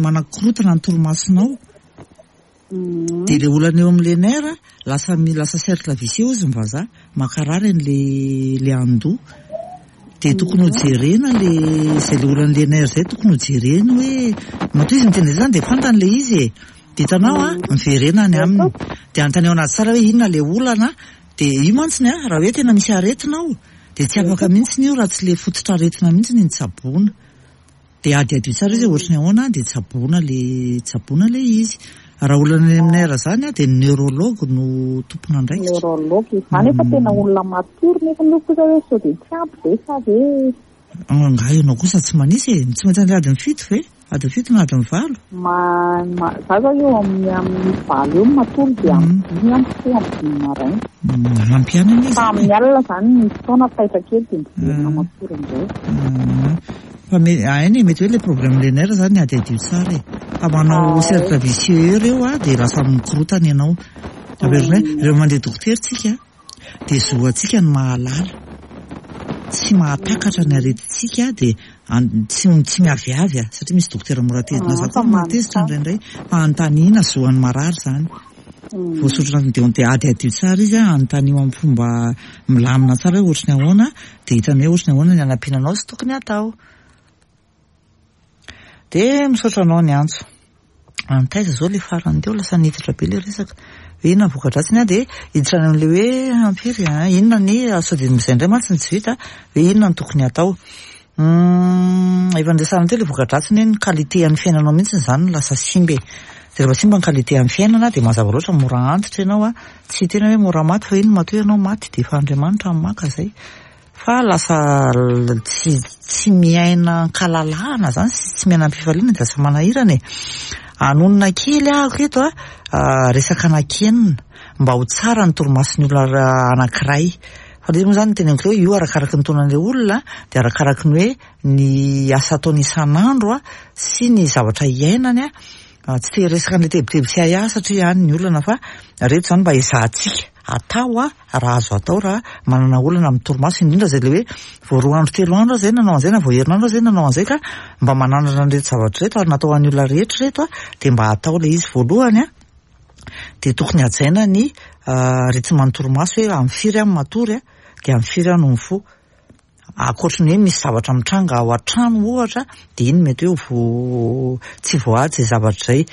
A: manakorotana ny torimasonao. Dia le olana eo amin'ilay nerf lasa lasa cercle vicieux izy ny vazaha, mankarary an'ilay le andoha. Dia tokony ho jerena le izay le olan'ilay nerf izay, tokony ho jerena hoe matoa izy miteny izany dia fantany ilay izy e. Dia hitanao a, miverena any aminy. Dia anontaniana anazy tsara hoe inona ilay olana. Dia io mantsiny a, raha hoe tena misy aretina ao dia tsy afaka mihitsy io raha tsy ilay fototra aretina mihitsy ny tsaboina. Dia adiadio tsara izy ohatry ny ahoana dia tsaboina le tsaboina ilay izy. Raha olana any amin'ny nerf izany a, dia ny neurologue no tompon'andraikitra.
C: Neurologue izany efa tena olona matory nefa ny kosa hoe sao dia tsy ampy ve sa ve?
A: Angaha ianao kosa tsy manisy e, tsy maintsy andeha adiny fito ve? Adiny fito na adiny valo?
C: Ma, ma, za zao eo amin'ny amin'ny valo eo matory dia amin'ny dimy aho mifoha amin'ny dimy maraina.
A: Ampy ihany anie
C: Fa amin'ny alina izany misy fotoana taitra kely dia miverina matory indray.
A: Fa me, hainy mety hoe le problème le nerf zany adiadio tsara e. Fa manao cercle vicieux ireo a, dia lasa mikorotana ianao. Averina hoe rehefa mandeha dokotera tsika dia zo antsika ny mahalala, tsy mahatakatra ny aretintsika dia tsy tsy miaviavy a, satria misy dokotera mora tezitra, za koa mora tezitra indraindray, fa anontaniana zo an'ny marary zany. Voasoratra anatin'ny dia adiadio tsara izy a, anontanio amin'ny fomba milamina tsara hoe ohatry ny ahoana, dia hitany hoe ohatry ny ahoana ny hanampiana anao sy tokony hatao. Dia misaotra anao ny antso. Antaiza zao le farany teo lasa niditra be le resaka. Hoe inona ny voka-dratsiny a, dia hiditra any amin'ilay hoe ampiry a, inona ny sao dia izay indray mantsy no tsy vita, hoe inona no tokony hatao. Efa niresahana teo le voka-dratsiny hoe ny qualité an'ny fiainanao mihitsy izany no lasa simba e. Dia rehefa simba ny qualité an'ny fiainana dia mazava loatra mora antitra ianao a, tsy tena hoe mora maty fa iny matoa ianao maty dia efa Andriamanitra no maka izay. Fa lasa tsy tsy miaina an-kalalahana zany sy tsy miaina am-pifaliana dia lasa manahirana e. Anonona kely ahako eto a, resaka anankenina mba ho tsara ny torimason'ny olona anankiray. Fa ilay izy moa zany teneniko hoe io arakaraky ny taonan'ilay olona dia arakaraky ny hoe ny asa ataony isan'andro a sy ny zavatra iainany a. Tsy te hiresaka an'ilay tebiteby sy ahiahy satria any ny olana, fa reto zany mba ezahantsika atao a, raha azo atao raha manana olana amin'ny torimaso, indrindra izay le hoe vao roa andro telo andro zay nanao an'izay na vao herinandro zay nanao an'izay ka mba manandrana an'ireto zavatra ireto ary natao ho an'ny olona rehetra ireto a, dia mba atao ilay izy voalohany a. Dia tokony hajaina ny rythme ny torimaso hoe amin'ny firy aho matory a, dia amin'ny firy aho no mifoha. Ankoatry ny hoe misy zavatra mitranga ao an-trano ohatra dia iny mety hoe vo tsy voahaja izay zavatra izay.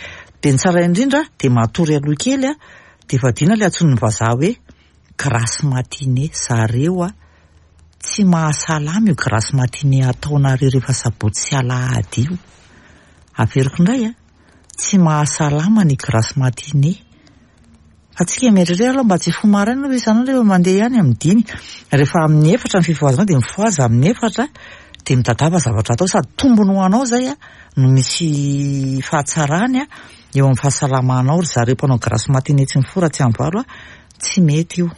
A: Dia ny tsara indrindra dia matory aloha kely a, dia fadiana ilay antsoin'ny vazaha hoe grasse matinée. Zareo a tsy mahasalama io grasse matinée ataonareo rehefa sabotsy sy alahady io. Averiko indray a, tsy mahasalama ny grasse matinée. Fa tsika mieritreritra aloha mba tsy hifoha maraina aloha isan'andro rehefa mandeha ihany amin'ny dimy. Rehefa amin'ny efatra ny fifohazanao dia mifohaza amin'ny efatra dia mitadiava zavatra atao, sady tombony ho anao izay a no misy fahatsarany a eo amin'ny fahasalamanao. Ry zareo mpanao grasse matinée tsy mifoha raha tsy amin'ny valo a, tsy mety io.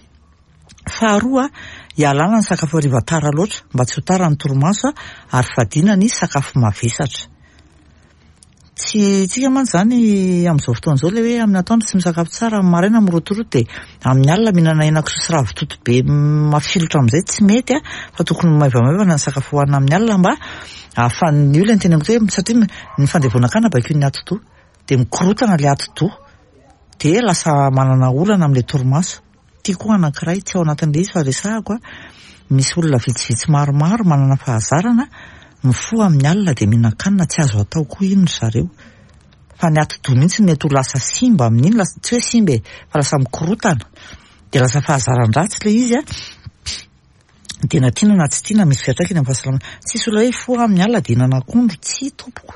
A: Faharoa, ialana ny sakafo hariva tara loatra mba tsy ho tara ny torimaso a, ary fadiana ny sakafo mavesatra. Tsy tsika mantsy zany amin'izao fotoana izao ilay hoe amin'ny atoandro tsy misakafo tsara, amin'ny maraina mirotoroto dia amin'ny alina mihinana henakisoa sy ravitoto be mafilotra amin'izay tsy mety a, fa tokony maivamaivana ny sakafo hohanina amin'ny alina mba ahafahan'ny olona ny teneniko hoe satria ny fandevonakana bakeo ny atidoha dia mikorotana ilay atidoha dia lasa manana olana amin'ilay torimaso. Ity koa anankiray tsy ao anatin'ilay izy fa resahako a, misy olona vitsivitsy maromaro manana fahazarana mifoha amin'ny alina dia mihinan-kanina, tsy azo atao koa iny ry zareo. Fa ny atidoha mihitsy mety ho lasa simba amin'iny, lasa tsy hoe simba e, fa lasa mikorotana dia lasa fahazaran-dratsy ilay izy a. Dia na tiana na tsy tiana misy fiantraikany amin'ny fahasalamana. Tsisy olona hoe hifoha amin'ny alina dia hihinana akondro, tsia tompoko.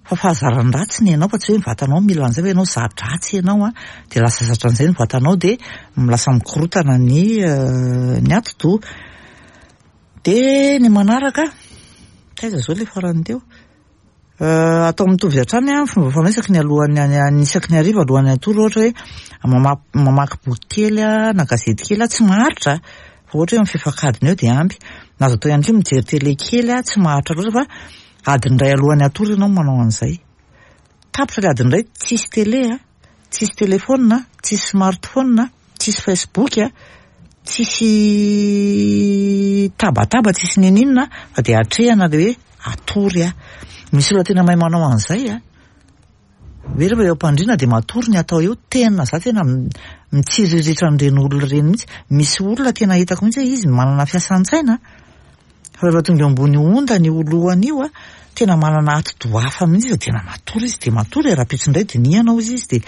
A: Fa fahazaran-dratsy ny anao fa tsy hoe ny vatanao mila an'izay fa ianao za-dratsy ianao an, dia lasa zatra an'izay ny vatanao dia lasa mikorotana ny ny atidoha. Dia ny manaraka, taiza izao ilay farany teo? Atao mitovy hatrany ny fomba fanao isaky ny alohan'ny isaky ny hariva alohan'ny hatory, ohatra hoe mamaky boky kely na gazety kely, tsy maharitra fa ohatra hoe amin'ny fefak'adiny eo dia ampy. Na azo atao ihany koa mijery télé kely, tsy maharitra loatra fa adiny iray alohan'ny hatory ianao manao an'izay. Tapitra ilay adiny iray, tsisy télé, tsisy téléphone, tsisy smartphone, tsisy Facebook, tsisy tabataba, tsisy n'inon'inona fa dia atrehana ilay hoe hatory aho. Misy olona tena mahay manao an'izay a. Hoe rehefa eo am-pandriana dia matory ny atao eo, tena za tena mitsiriritra an'ireny olona ireny mihitsy. Misy olona tena hitako mihitsy hoe izy manana fiasan-tsaina fa rehefa tonga eo ambony ondana io lohany io a, tena manana atidoha hafa mihitsy izy, tena matory izy dia matory e, rahampitso indray dinihana hozy izy dia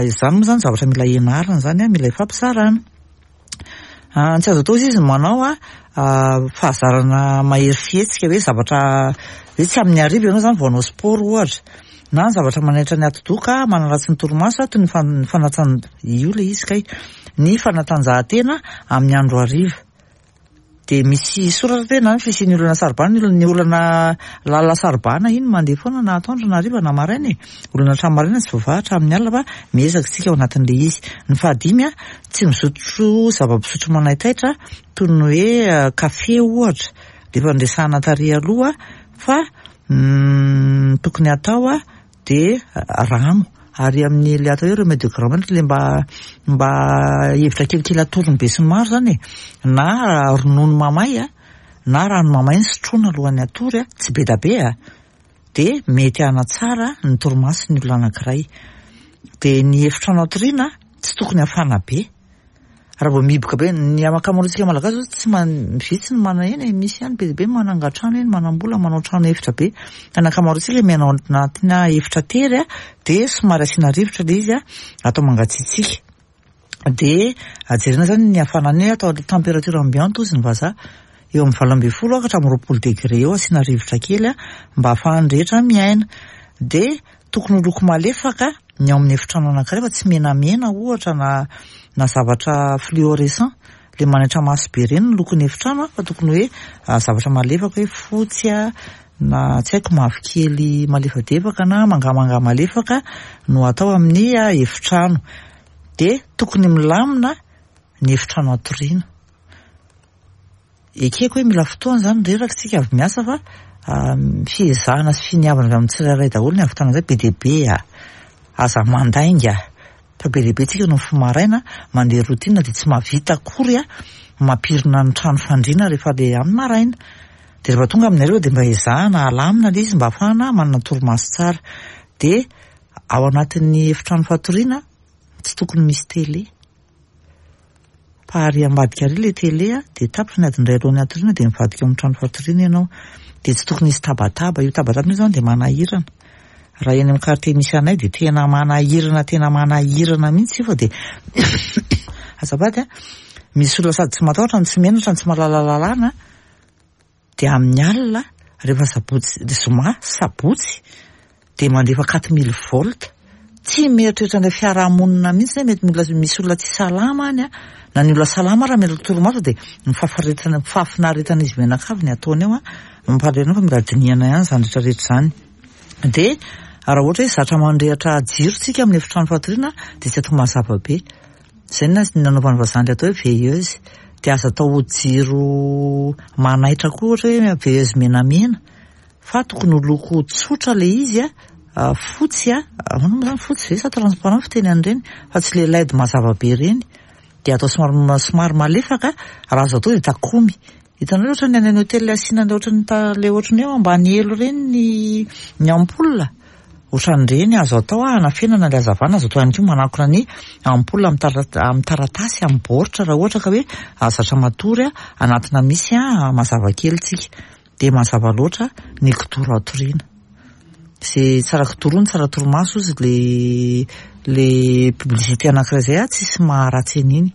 A: izany moa zany zavatra mila ianarana zany a, mila ifampizarana. Tsy azo atao izy ny manao a fahazarana mahery fihetsika hoe zavatra hoe tsy amin'ny hariva ianao zany vao hanao sport ohatra, na ny zavatra manaitra ny atidoha ka manaratsy ny torimaso toy ny fanatsan- io ilay izy kay, ny fanatanjahantena amin'ny andro hariva. Dia misy soratra tena ny fisian'ny olana sarobana, ny olana lalina sarobana iny mandeha foana na atoandro na hariva na maraina e. Olana hatramin'ny maraina tsy voavaha hatramin'ny alina fa miezaka isika ao anatin'ilay izy. Ny fahadimy a, tsy misotro zava-pisotro manaitaitra toy ny hoe kafe ohatra, rehefa noresahana tary aloha fa tokony atao a dia rano. Ary amin'ny ilay atao hoe remède de grand-mère ilay mba mba hevitra kelikely atorony be sy ny maro zany e, na ronono mamay a, na rano mamay ny sotroina alohan'ny hatory a, tsy be da be a, dia mety hanatsara ny torimason'ny olona anankiray. Dia ny efitrano hatoriana tsy tokony hafana be. Raha vao mihiboka be, ny ankamaroantsika malagasy zao tsy man-, vitsy ny manana eny e, misy ihany be dia be manangan-trano eny, manam-bola, manao trano efitra be. Fa ny ankamaroantsika miaina ao anatina efitra tery a, dia somary asiana rivotra ilay izy a, atao mangatsiatsiaka. Dia jerena zany ny hafanana eo, atao température ambiante hozy ny vazaha, eo amin'ny valo ambin'ny folo ka hatramin'ny roapolo degré eo asiana rivotra kely a, mba ahafahan'ny rehetra miaina. Dia tokony ho loko malefaka ny ao amin'ny efitrano anankiray fa tsy menamena ohatra na na zavatra fluorescent, le manaitra maso be ireny ny lokon'ny efitrano a, fa tokony hoe zavatra malefaka hoe fotsy a, na tsy haiko mavokely malefadefaka na mangamanga malefaka no atao amin'ny efitrano. Dia tokony milamina ny efitrano hatoriana. Ekeko hoe mila fotoana zany reraka isika avy miasa fa fiezahana sy finiavana avy amin'ny tsirairay daholo ny hahavitana an'izay be dia be a. Aza mandainga fa be dia be tsika no mifoha maraina mandeha routine dia tsy mahavita akory a mampirina ny trano fandriana rehefa le amin'ny maraina. Dia rehefa tonga amin'ny hariva dia mba ezahana alamina ilay izy mba ahafahana manana torimaso tsara. Dia ao anatin'ny efitrano fatoriana tsy tokony misy télé. Fa ary ambadika ary ilay télé a, dia tapitra ny adiny iray alohan'ny hatoriana dia mivadika ao amin'ny trano fatoriana ianao. Dia tsy tokony hisy tabataba. Io tabataba io zany dia manahirana. Raha eny amin'ny quartier misy anay dia tena manahirana, tena manahirana mihitsy io fa dia azafady a, misy olona sady tsy matahotra no tsy menatra no tsy mahalala lalàna dia amin'ny alina rehefa sabotsy, zoma, sabotsy dia mandefa quatre mille volts. Tsy mieritreritra an'ilay fiarahamonina mihitsy hoe mety mila misy olona tsy salama any a, na ny olona salama raha mila torimaso dia ny fahafaretana, fahafinaretana izy mianakavy ny ataony eo a, mampalahelo fa mila dinihana ihany izany rehetrarehetra izany. Dia raha ohatra hoe zatra mandrehitra jiro tsika amin'ny efitrano fatoriana dia tsy atao mazava be. Izay no nanaovan'ny vazaha ilay atao hoe veilleuse. Dia aza atao jiro manaitra koa ohatra hoe veilleuse menamena fa tokony ho loko tsotra ilay izy a, fotsy a, ahoana moa zany fotsy ve sa transparent fiteny an'ireny fa tsy ilay L E D mazava be ireny. Dia atao somary somary malefaka, raha azo atao dia takomy. Hitanareo ohatra ny any amin'ny hôtel asiana ilay ohatran'ny ta-, ilay ohatran'ny hoe ambany elo ireny ny, ny ampoule. Ohatran'ireny azo atao hanafenana ilay hazavana, azo atao ihany koa manakona ny ampoule amin'ny tara-, amin'ny taratasy, amin'ny baoritra raha ohatra ka hoe zatra matory anatina misy mazava kely tsika. Dia mazava loatra ny kidoro hatoriana. Izay tsara kidoro ny tsara torimaso izy le, le publicité anankiray izay a, tsisy maharatsy an'iny.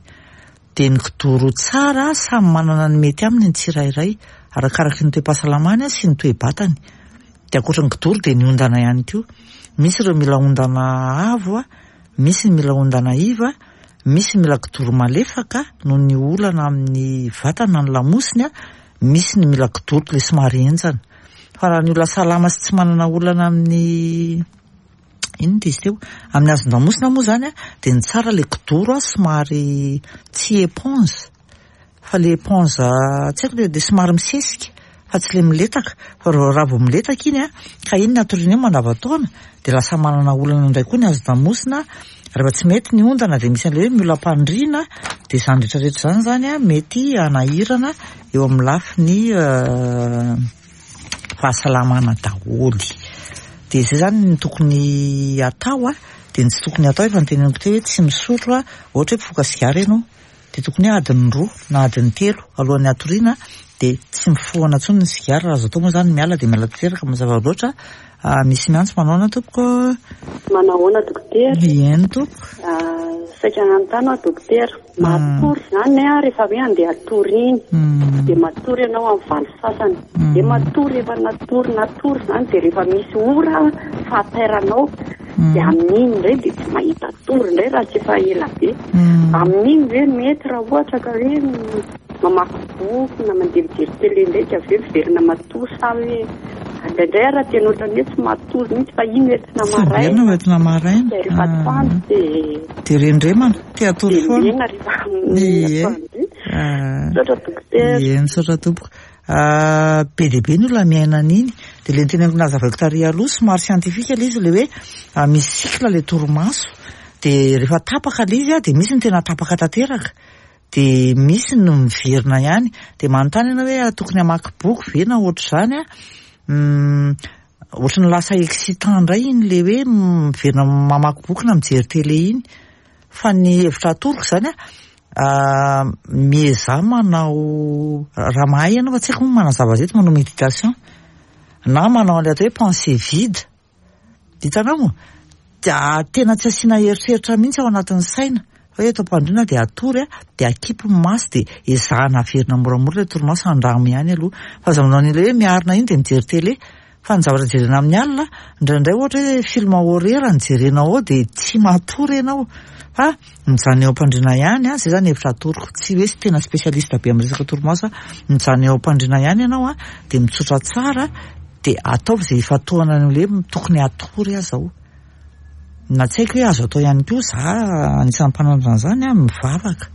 A: Dia ny kidoro tsara, samy manana ny mety aminy ny tsirairay, arakaraky ny toe-pahasalamany sy ny toe-batany. Dia ankoatra ny kidoro dia ny ondana ihany koa. Misy ireo mila ondana avo, misy ny mila ondana iva, misy ny mila kidoro malefaka noho ny olana amin'ny vatana ny lamosiny, misy ny mila kidoro ilay somary henjana. Fa raha ny olona salama sy tsy manana olana amin'ny inona izy teo, amin'ny hazon-damosina moa zany a, dia ny tsara ilay kidoro a somary tsy éponge fa le éponge tsy haiko, dia somary misesika fa tsy le miletaka. Fa raha vao miletaka iny a, ka iny ny atoriana eo mandavantaona, dia lasa manana olana indray koa ny hazon-damosina. Rehefa tsy mety ny ondana dia misy an'ilay hoe miolam-pandriana, dia izany rehetrarehetra izany zany a mety hanahirana eo amin'ny lafiny fahasalamana daholo. Dia izay zany ny tokony atao a, dia ny tsy tokony atao efa noteneniko teo hoe tsy misotro a, ohatra hoe mpifoka sigara ianao, dia tokony hoe adiny roa na adiny telo alohan'ny hatoriana dia tsy mifohana intsony ny sigara. Raha azo atao moa zany miala dia miala tanteraka, mazava loatra. Misy miantso manaona tompoko?
B: Manahoana dokotera?
A: Eny tompoko.
B: Saika nanontany aho dokotera, matory zany a rehefa hoe andeha hatory iny, dia matory ianao amin'ny valo sasany, dia matory efa natory natory zany, dia rehefa misy ora fahatairanao dia amin'iny indray dia tsy mahita tory indray raha tsy efa ela be. Amin'iny ve mety raha ohatra ka hoe mamaky boky na mandeha mijery télé indray dia avy eo miverina matory, sa hoe indraindray raha tena ohatran'ny hoe tsy matory mihitsy fa iny entina maraina,
A: Tsy entina maraina.
B: Dia rehefa atoandro dia
A: Dia rendremana, te hatory foana.
B: Dia mena rehefa
A: Ie.
B: atoandro. Misaotra dokotera.
A: Ie, misaotra tompoko. Be dia be ny olona miaina an'iny. Dia ilay noteneniko nazavaiko tary aloha, somary siantifika ilay izy, ilay hoe misy cycle ilay torimaso. Dia rehefa tapaka ilay izy, dia misy ny tena tapaka tanteraka, dia misy ny miverina ihany. Dia manontany ianao hoe tokony hamaky boky ve na ohatr'izany a? Ohatran'ny lasa excitant indray iny ilay hoe miverina mamaky boky na mijery télé iny. Fa ny hevitra atoroko izany a, miezaha manao, raha mahay ianao fa tsy haiko moa manazava azy eto, manao méditation na manao an'ilay atao hoe pensée vide. Hitanao moa? Dia tena tsy asiana eritreritra mihitsy ao anatin'ny saina. Fa hoe eto am-pandriana dia atory a, dia akipy ny maso, dia ezahana averina moramora ilay torimaso, andramo ihany aloha. Fa aza manao an'ilay hoe miarina iny dia mijery télé. Fa ny zavatra jerena amin'ny alina, indraindray ohatra hoe film horreur no jerenao ao dia tsy matory ianao. Fa mijanona eo am-pandriana ihany a, izay zany hevitra atoroko. Tsy hoe tena spécialiste be amin'ny resaka torimaso a, mijanona eo am-pandriana ihany ianao a, dia mitsotra tsara, dia ataovy izay ifantohana an'ilay hoe tokony hatory aho izao. Na tsy haiko hoe azo atao ihany koa, za anisan'ny mpananatra an'izany a, mivavaka.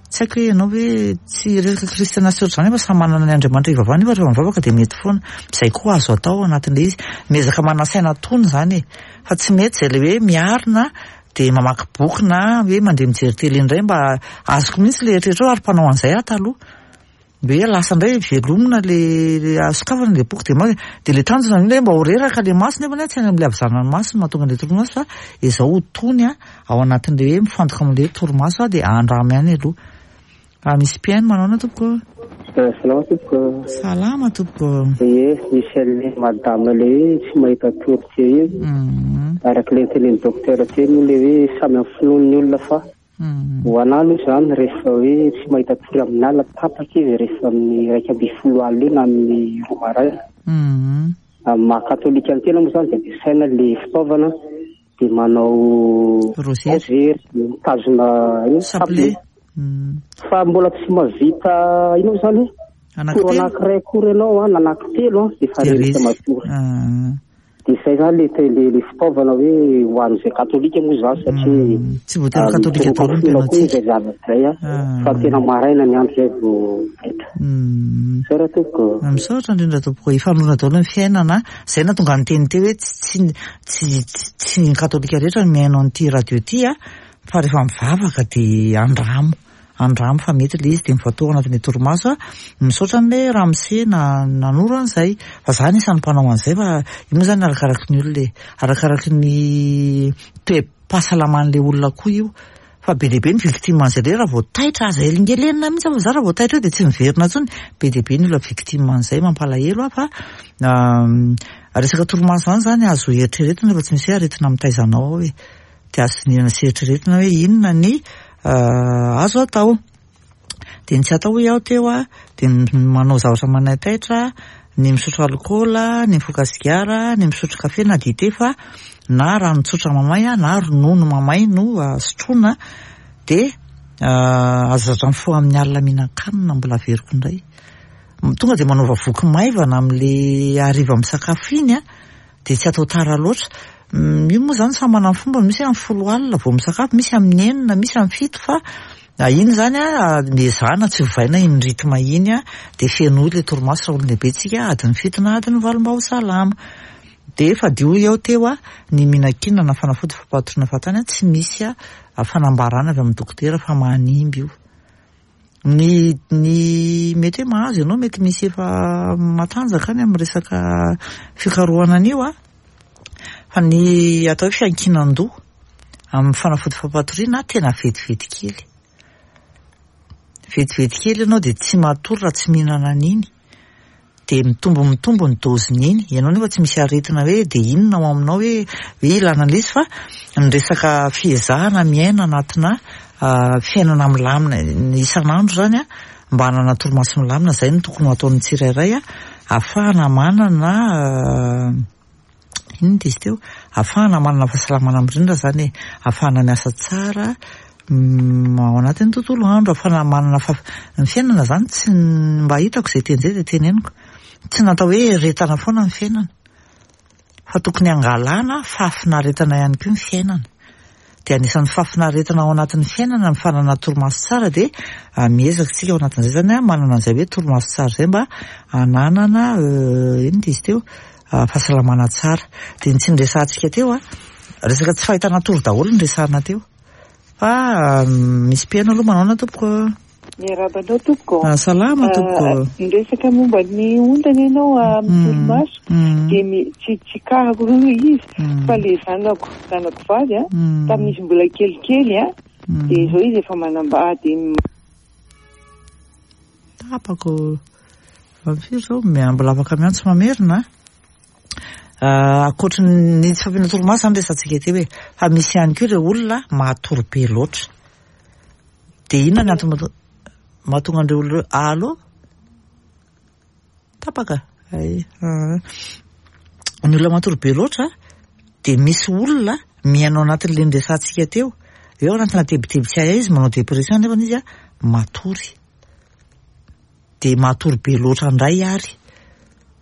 A: Tsy haiko hoe ianao hoe tsy resaka kristiana sy ohatr'izany fa samy manana ny Andriamanitra ivavahana io, fa rehefa mivavaka dia mety foana. Izay koa azo atao ao anatin'ilay izy. Miezaka manasaina tony izany e. Fa tsy mety izay ilay hoe miarina dia mamaky boky na hoe mandeha mijery télé indray, mba azoko mihitsy ilay eritreritra ary mpanao an'izay aho taloha. Hoe lasa indray velomina le sokafana le boky dia ma-, dia ilay tanjona indray mba ho reraka le maso, nefa tsy any amin'ilay havizanana ny maso no mahatonga an'ilay torimaso, fa izao ho tony a ao anatin'ilay hoe mifantoka amin'ilay torimaso a, dia andramo ihany aloha. Raha misy mpihaino manaona tompoko?
D: Salama tompoko.
A: Salama tompoko.
D: Ie, misy an'ilay madame ilay hoe tsy mahita tory teo iny. Araka ilay notenenin'ny docteur teo moa ilay hoe samy amin'ny finoan'ny olona fa ho anà aloha izany rehefa hoe tsy mahita tory amin'ny alina tapaka izy rehefa amin'ny iraika ambin'ny folo alina eo na amin'ny roa maraina. Amin'ny maha katolika ny tena moa izany dia ampiasaina ilay fitaovana dia manao
A: Rosaire.
D: rosaire, mitazona ino?
A: Chapelet.
D: Chapelet. Fa mbola tsy mahavita ino moa izany?
A: Anankitelo.
D: Toro anankiray akory ianao a, na anankitelo a, dia efa
A: Dia
D: reraka
A: resy.
D: matory. Dia izay izany le te-, le, le fitaovana hoe ho an'izay katolika moa izany satria
A: Tsy voatery katolika
D: mitoroka
A: daholo ny
D: finoana koa
A: mpianatra.
D: izay zavatra izay a, fa tena maraina ny andro izay vao vita. Misaotra tompoko.
A: Misaotra indrindra tompoko. Ifanona daholo ny fiainana. Izay nahatonga ny teny teo hoe tsy, tsy, tsy, tsy ny katolika rehetra no mihaino an'ity radio ity a, fa rehefa mivavaka dia andramo. Andramo fa mety ilay izy dia mifantoha anatin'ny torimaso a. Misaotra an'ilay ramose na-, nanoro an'izay. Fa za anisan'ny mpanao an'izay, fa io moa zany arakaraky ny olona e. Arakaraky ny toe-pahasalaman'ilay olona koa io. Fa be dia be ny victime an'izay ilay raha vao taitra, aza elingelenina mihitsy fa za raha vao taitra eo dia tsy miverina intsony. Be dia be ny olona victime an'izay, mampalahelo aho fa, resaka torimaso izany zany azo eritreretina fa tsy misy hoe aretina mitaiza anao ao e. Dia azo dinihana sy eritreretina hoe inona ny azo atao. Dia ny tsy atao hoy aho teo a, dia ny manao zavatra manaitaitra, ny misotro alikaola, ny mifoka sigara, ny misotro kafe na dite fa na rano tsotra mamay a, na ronono mamay no sotroina. Dia aza zatra mifoha amin'ny alina mihinan-kanina, mbola averiko indray. Tonga dia manaova voky maivana amin'le hariva misakafo iny a, dia tsy atao tara loatra. Io moa zany samy manana ny fomba, misy amin'ny folo alina vao misakafo, misy amin'ny enina, misy amin'ny fito, fa iny zany a miezahana tsy ovaina iny rythme iny a, dia fenoy le torimaso raha olon-dehibe tsika adiny fito na adiny valo mba ho salama. Dia fadio eo teo a ny mihinan-kinana na fanafody fampahatoriana fahatany a, tsy misy a fanambarana avy amin'ny dokotera fa manimba io. Ny ny mety hoe mahazo ianao, mety misy efa matanjaka any amin'ny resaka fikarohana an'io a, fa ny atao hoe fiankinan-doha amin'ny fanafody fampahatoriana tena vetivety kely. Vetivety kely ianao dia tsy matory raha tsy mihinana an'iny. Dia mitombo mitombo ny doziny iny. Ianao nefa tsy misy aretina hoe dia inona ao aminao hoe hoe ilana an'ilay izy, fa ny resaka fiezahana miaina anatina fiainana milamina isan'andro zany a, mba hanana torimaso milamina, izay no tokony ho ataon'ny tsirairay a, ahafahana manana inona izy teo, ahafahana manana fahasalamana mirindra zany e, ahafahana miasa tsara ao anatin'ny tontolo andro, ahafahana manana fa ny fiainana zany tsy mba hitako izay teny izay dia teneniko, tsy natao hoe retana foana ny fiainana, fa tokony hangalana fahafinaretana ihany koa ny fiainana. Dia anisan'ny fahafinaretana ao anatin'ny fiainana ny fananana torimaso tsara, dia miezaka isika ao anatin'izay zany a, manana an'izay hoe torimaso tsara izay mba hananana inona izy teo, fahasalamana tsara. Dia ny tsy niresahantsika teo a, resaka tsy fahitana tory daholo ny resahana teo, fa misy mpihaino aloha manao na tompoko.
E: Miarahaba anao tompoko.
A: Salama tompoko.
E: Niresaka momba ny ondana ianao amin'ny torimaso, dia tsy tsy karako aloha izy, fa le zanako zanako vavy a, tamin'izy mbola kelikely a, dia izao izy efa manambady.
A: Tapako. Firy zao mbola afaka miantso mamerina. Ankoatry ny tsy fampiana torimaso zany resahantsika teo hoe, fa misy ihany koa ireo olona matory be loatra. Dia inona ny antony mahatonga an'ireo olona ireo? Allo? Tapaka. Ay, ny olona matory be loatra dia misy olona mihaino anatin'ilay niresahantsika teo, eo anatina tebiteby tsy hay izy, manao dépression nefa izy a matory. Dia matory be loatra indray ary.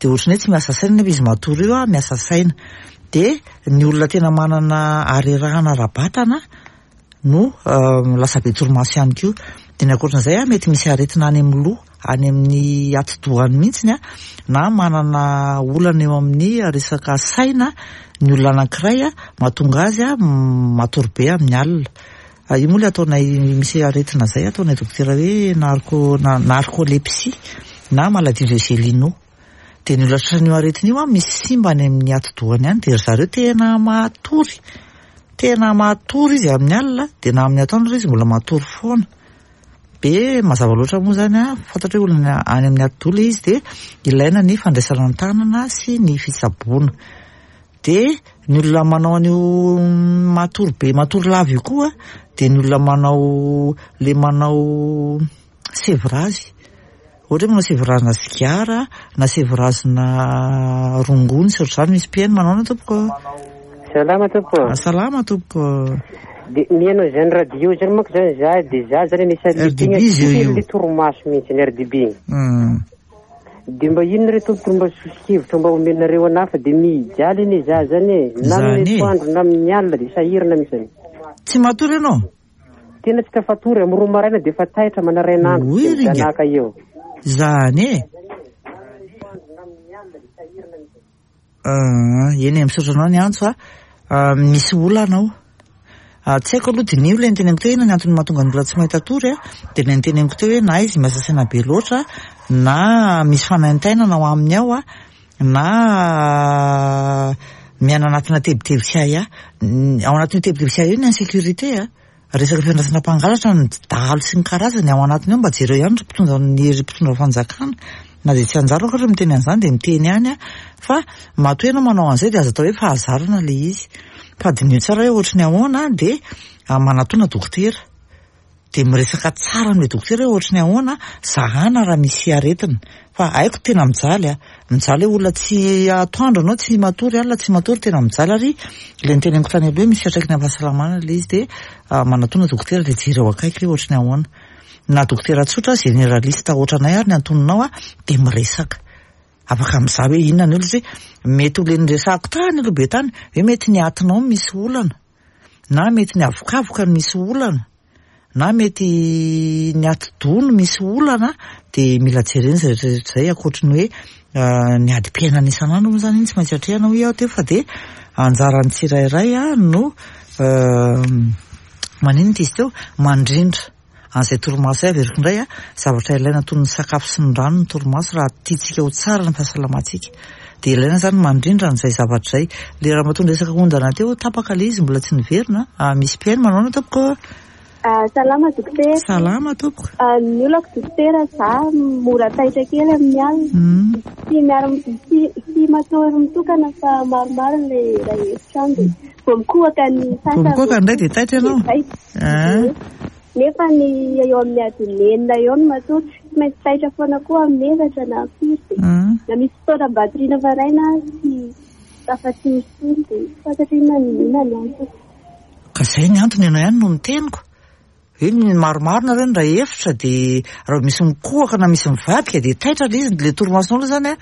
A: Dia ohatran'ny hoe tsy miasa saina nefa izy matory io a, miasa saina. Dia ny olona tena manana harerahana ara-batana no lasa be torimaso ihany koa. Dia ny ankoatran'izay a, mety misy aretina any amin'ny loha, any amin'ny atidohany mihitsiny a, na manana olana eo amin'ny resaka saina ny olona anankiray a, mahatonga azy a matory be amin'ny alina. Io moa ilay ataonay misy aretina izay ataonay dokotera hoe narco narcolepsie na maladie de Gélino. Dia ny olona tratran'io aretina io a, misy simba any amin'ny atidohany any, dia ry zareo tena matory. Tena matory izy amin'ny alina, dia na amin'ny atoandro izy mbola matory foana. Be mazava loatra moa zany a, fantatra hoe olona any amin'ny atidoha ilay izy, dia ilaina ny fandraisana an-tanana sy ny fitsaboana. Dia ny olona manao an'io matory be, matory lava io koa, dia ny olona manao le manao sevrage. Ohatra hoe manao sevrage na sigara, na sevrage na rongony sy ohatr'izany, misy mpihaino manao na tompoko.
D: Salama tompoko.
A: Salama tompoko.
D: Dia mihaino izany radio izany manko zany za, dia za zany anisan'ny
A: R D B izy io.
D: le torimaso mihitsy ny R D B. Dia mba inona re tompoko mba soso-kevitra mba omenareo anahy, fa dia mijaly anie za zany e, na amin'ny atoandro na amin'ny alina dia sahirana mihitsy.
A: Tsy matory ianao?
D: Tena tsy tafatory, amin'ny roa maraina dia efa taitra manarainandro,
A: Oy,
D: dia
A: ringa.
D: mijanaka eo.
A: Zany e. Eny e, misaotra anao ny antso a. Misy olana ao. Tsy haiko aloha diniho ilay niteneniko teo hoe inona ny antony mahatonga ny olona tsy mahita tory a. Dia ilay niteneniko teo hoe na izy miasa saina be loatra, na misy fanaintainana ao aminy ao a, na miaina anatina tebiteby tsy hay a. Ao anatin'io tebiteby tsy hay io ny insécurité a. Resaka fiandrasana mpangalatra, ny dahalo sy ny karazany ao anatiny ao, mba jereo ihany ry mpitondra ny ry mpitondra fanjakana. Na dia tsy anjara akory miteny an'izany dia miteny ihany a, fa matoa ianao manao an'izay dia aza atao hoe fahazarana ilay izy. Fa diniho tsara hoe ohatry ny ahoana dia manatona dokotera. Dia miresaka tsara amin'ilay dokotera hoe ohatry ny ahoana, zahana raha misy aretina. Fa haiko tena mijaly a, mijaly hoe olona tsy atoandro anao, tsy matory alina, tsy matory, tena mijaly ary ilay niteneniko tany aloha hoe misy fiantraikany amin'ny fahasalamana ilay izy, dia manatona dokotera dia jereo akaiky hoe ohatry ny ahoana. Na dokotera tsotra, généraliste ohatranay ary ny antononao a, dia miresaka. Afaka mizaha hoe inona ny olana, satria mety ho le niresahako tany aloha be tany, hoe mety ny atinao misy olana, na mety ny avokavoka no misy olana, na mety ny atidoha no misy olana, dia mila jerena izay rehetra rehetra izay, ankoatry ny hoe ny adim-piainana isan'andro moa izany iny tsy maintsy atrehana hoy aho teo, fa dia anjaran'ny tsirairay no maninona izy teo, mandrindra an'izay torimaso izay. Averiko indray a, zavatra ilaina toy ny sakafo sy ny rano ny torimaso raha tiantsika ho tsara ny fahasalamantsika, dia ilaina izany mandrindra an'izay zavatra izay. Le raha matoa niresaka ondana teo, tapaka ilay izy, mbola tsy niverina. Misy mpihaino manao ahoana tompoko?
F: Salama dokotera.
A: Salama tompoko.
F: Ny olako dokotera, za mora taitra kely amin'ny alina. Tsy miara tsy tsy matory mitokana fa maromaro ilay iray efitrano, dia vao mikohaka ny sasany.
A: Vao mikohaka indray dia taitra ianao.
F: Nefa ny eo amin'ny adiny enina eo no matory, tsy maintsy taitra foana koa amin'ny efatra na firy, dia na misy fotoana mbatoriana maraina tsy tafatory intsony, dia tsy fantatro inona ny inona ny antony.
A: Ka izay ny antony ianao ihany no niteniko. Hoe ny maromaro nareo ny iray efitra, dia raha misy mikohaka na misy mivadika dia taitra ilay izy, ilay torimasonao aloha izany a,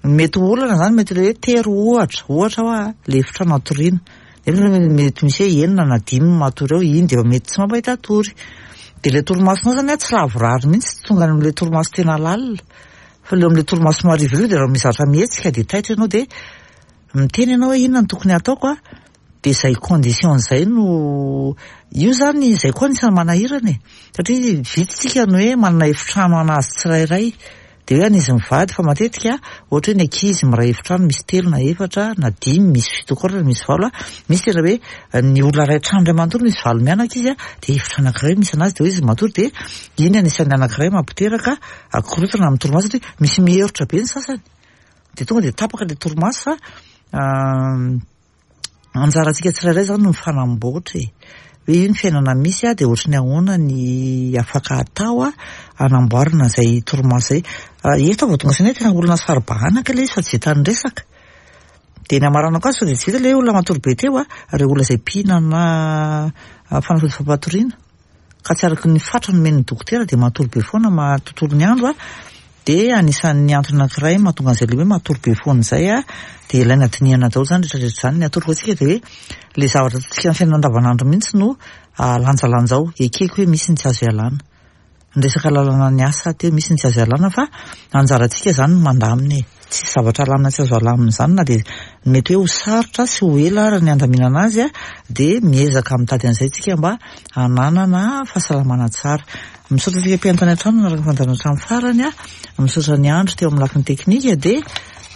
A: mety ho olana izany, mety ilay hoe tery ohatra, ohatra hoa ilay efitrano atoriana. Nefa mety misy hoe enina na dimy matory eo, iny dia efa mety tsy mampahita tory. Dia ilay torimasonao izany a tsy lavorary mihitsy, tsy tonga any amin'ilay torimaso tena lalina. Fa ilay amin'ilay torimaso marivo io dia raha misy zavatra mihetsika dia taitra ianao, dia miteny ianao hoe inona no tokony hataoko a, dia izay condition izay no io izany, izay koa anisan'ny manahirana e, satria vitsy tsika ny hoe manana efitrano anazy tsirairay, dia hoe an'izy mivady, fa matetika ohatra hoe ny ankizy miray efitrano misy telo na efatra na dimy, misy fito koa na misy valo, misy tena hoe ny olona iray trano iray manontolo misy valo mianaka izy, dia efitra anankiray misy anazy, dia hoe izy matory, dia iny anisan'ny anankiray mampiteraka akorotana amin'ny torimaso, satria misy miherotra be ny sasany, dia tonga dia tapaka ilay torimaso. Fa anjarantsika tsirairay izany no mifanamboatra e, hoe io ny fiainana misy a, dia ohatry ny ahoana ny afaka atao a hanamboarana izay torimaso izay. Eto vao tonga saina hoe tena olona saro-bahanaka ilay izy fa tsy vitan'ny resaka. Dia ny hamaranako azy sao dia tsy vita ilay olona matory be teo a, ireo olona izay mpihinana fanafody fampatoriana ka tsy araka ny fatra nomen'ny dokotera dia matory be foana matontolo ny andro a, dia anisan'ny antony anankiray mahatonga an'izay ilay hoe matory be foana izay a, dia ilaina dinihana daholo izany rehetra rehetra izany. Ny atoroko antsika dia hoe ilay zavatra ataontsika amin'ny fiainana andavanandro mihitsy no lanjalanjao, ekeko hoe misy ny tsy azo ialana. Ny resaka lalana ny asa teo misy ny tsy azo ialana, fa anjarantsika izany no mandamina e. Tsy zavatra alamina tsy azo alamina izany, na dia mety hoe ho sarotra sy ho ela ary ny andaminana azy a, dia miezaka mitady an'izay tsika mba hananana fahasalamana tsara. Misaotra antsika mpihaino tany an-trano nanaraka ny fandaharana hatramin'ny farany a, misaotra ny andro teo amin'ny lafiny teknika, dia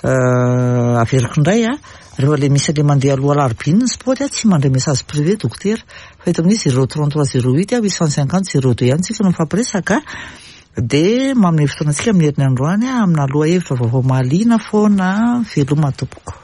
A: averiko indray a, rehefa ilay misy ilay mandeha aloha alarobia iny ny spot a, tsy mandray message privé dokotera, fa eto amin'ny zéro trente-trois zéro huit huit cent cinquante zéro deux ihany tsika no mifampiresaka, dia manome fotoana antsika amin'ny herin'ny androany amina lohahevitra vaovao mahaliana foana. Veloma tompoko.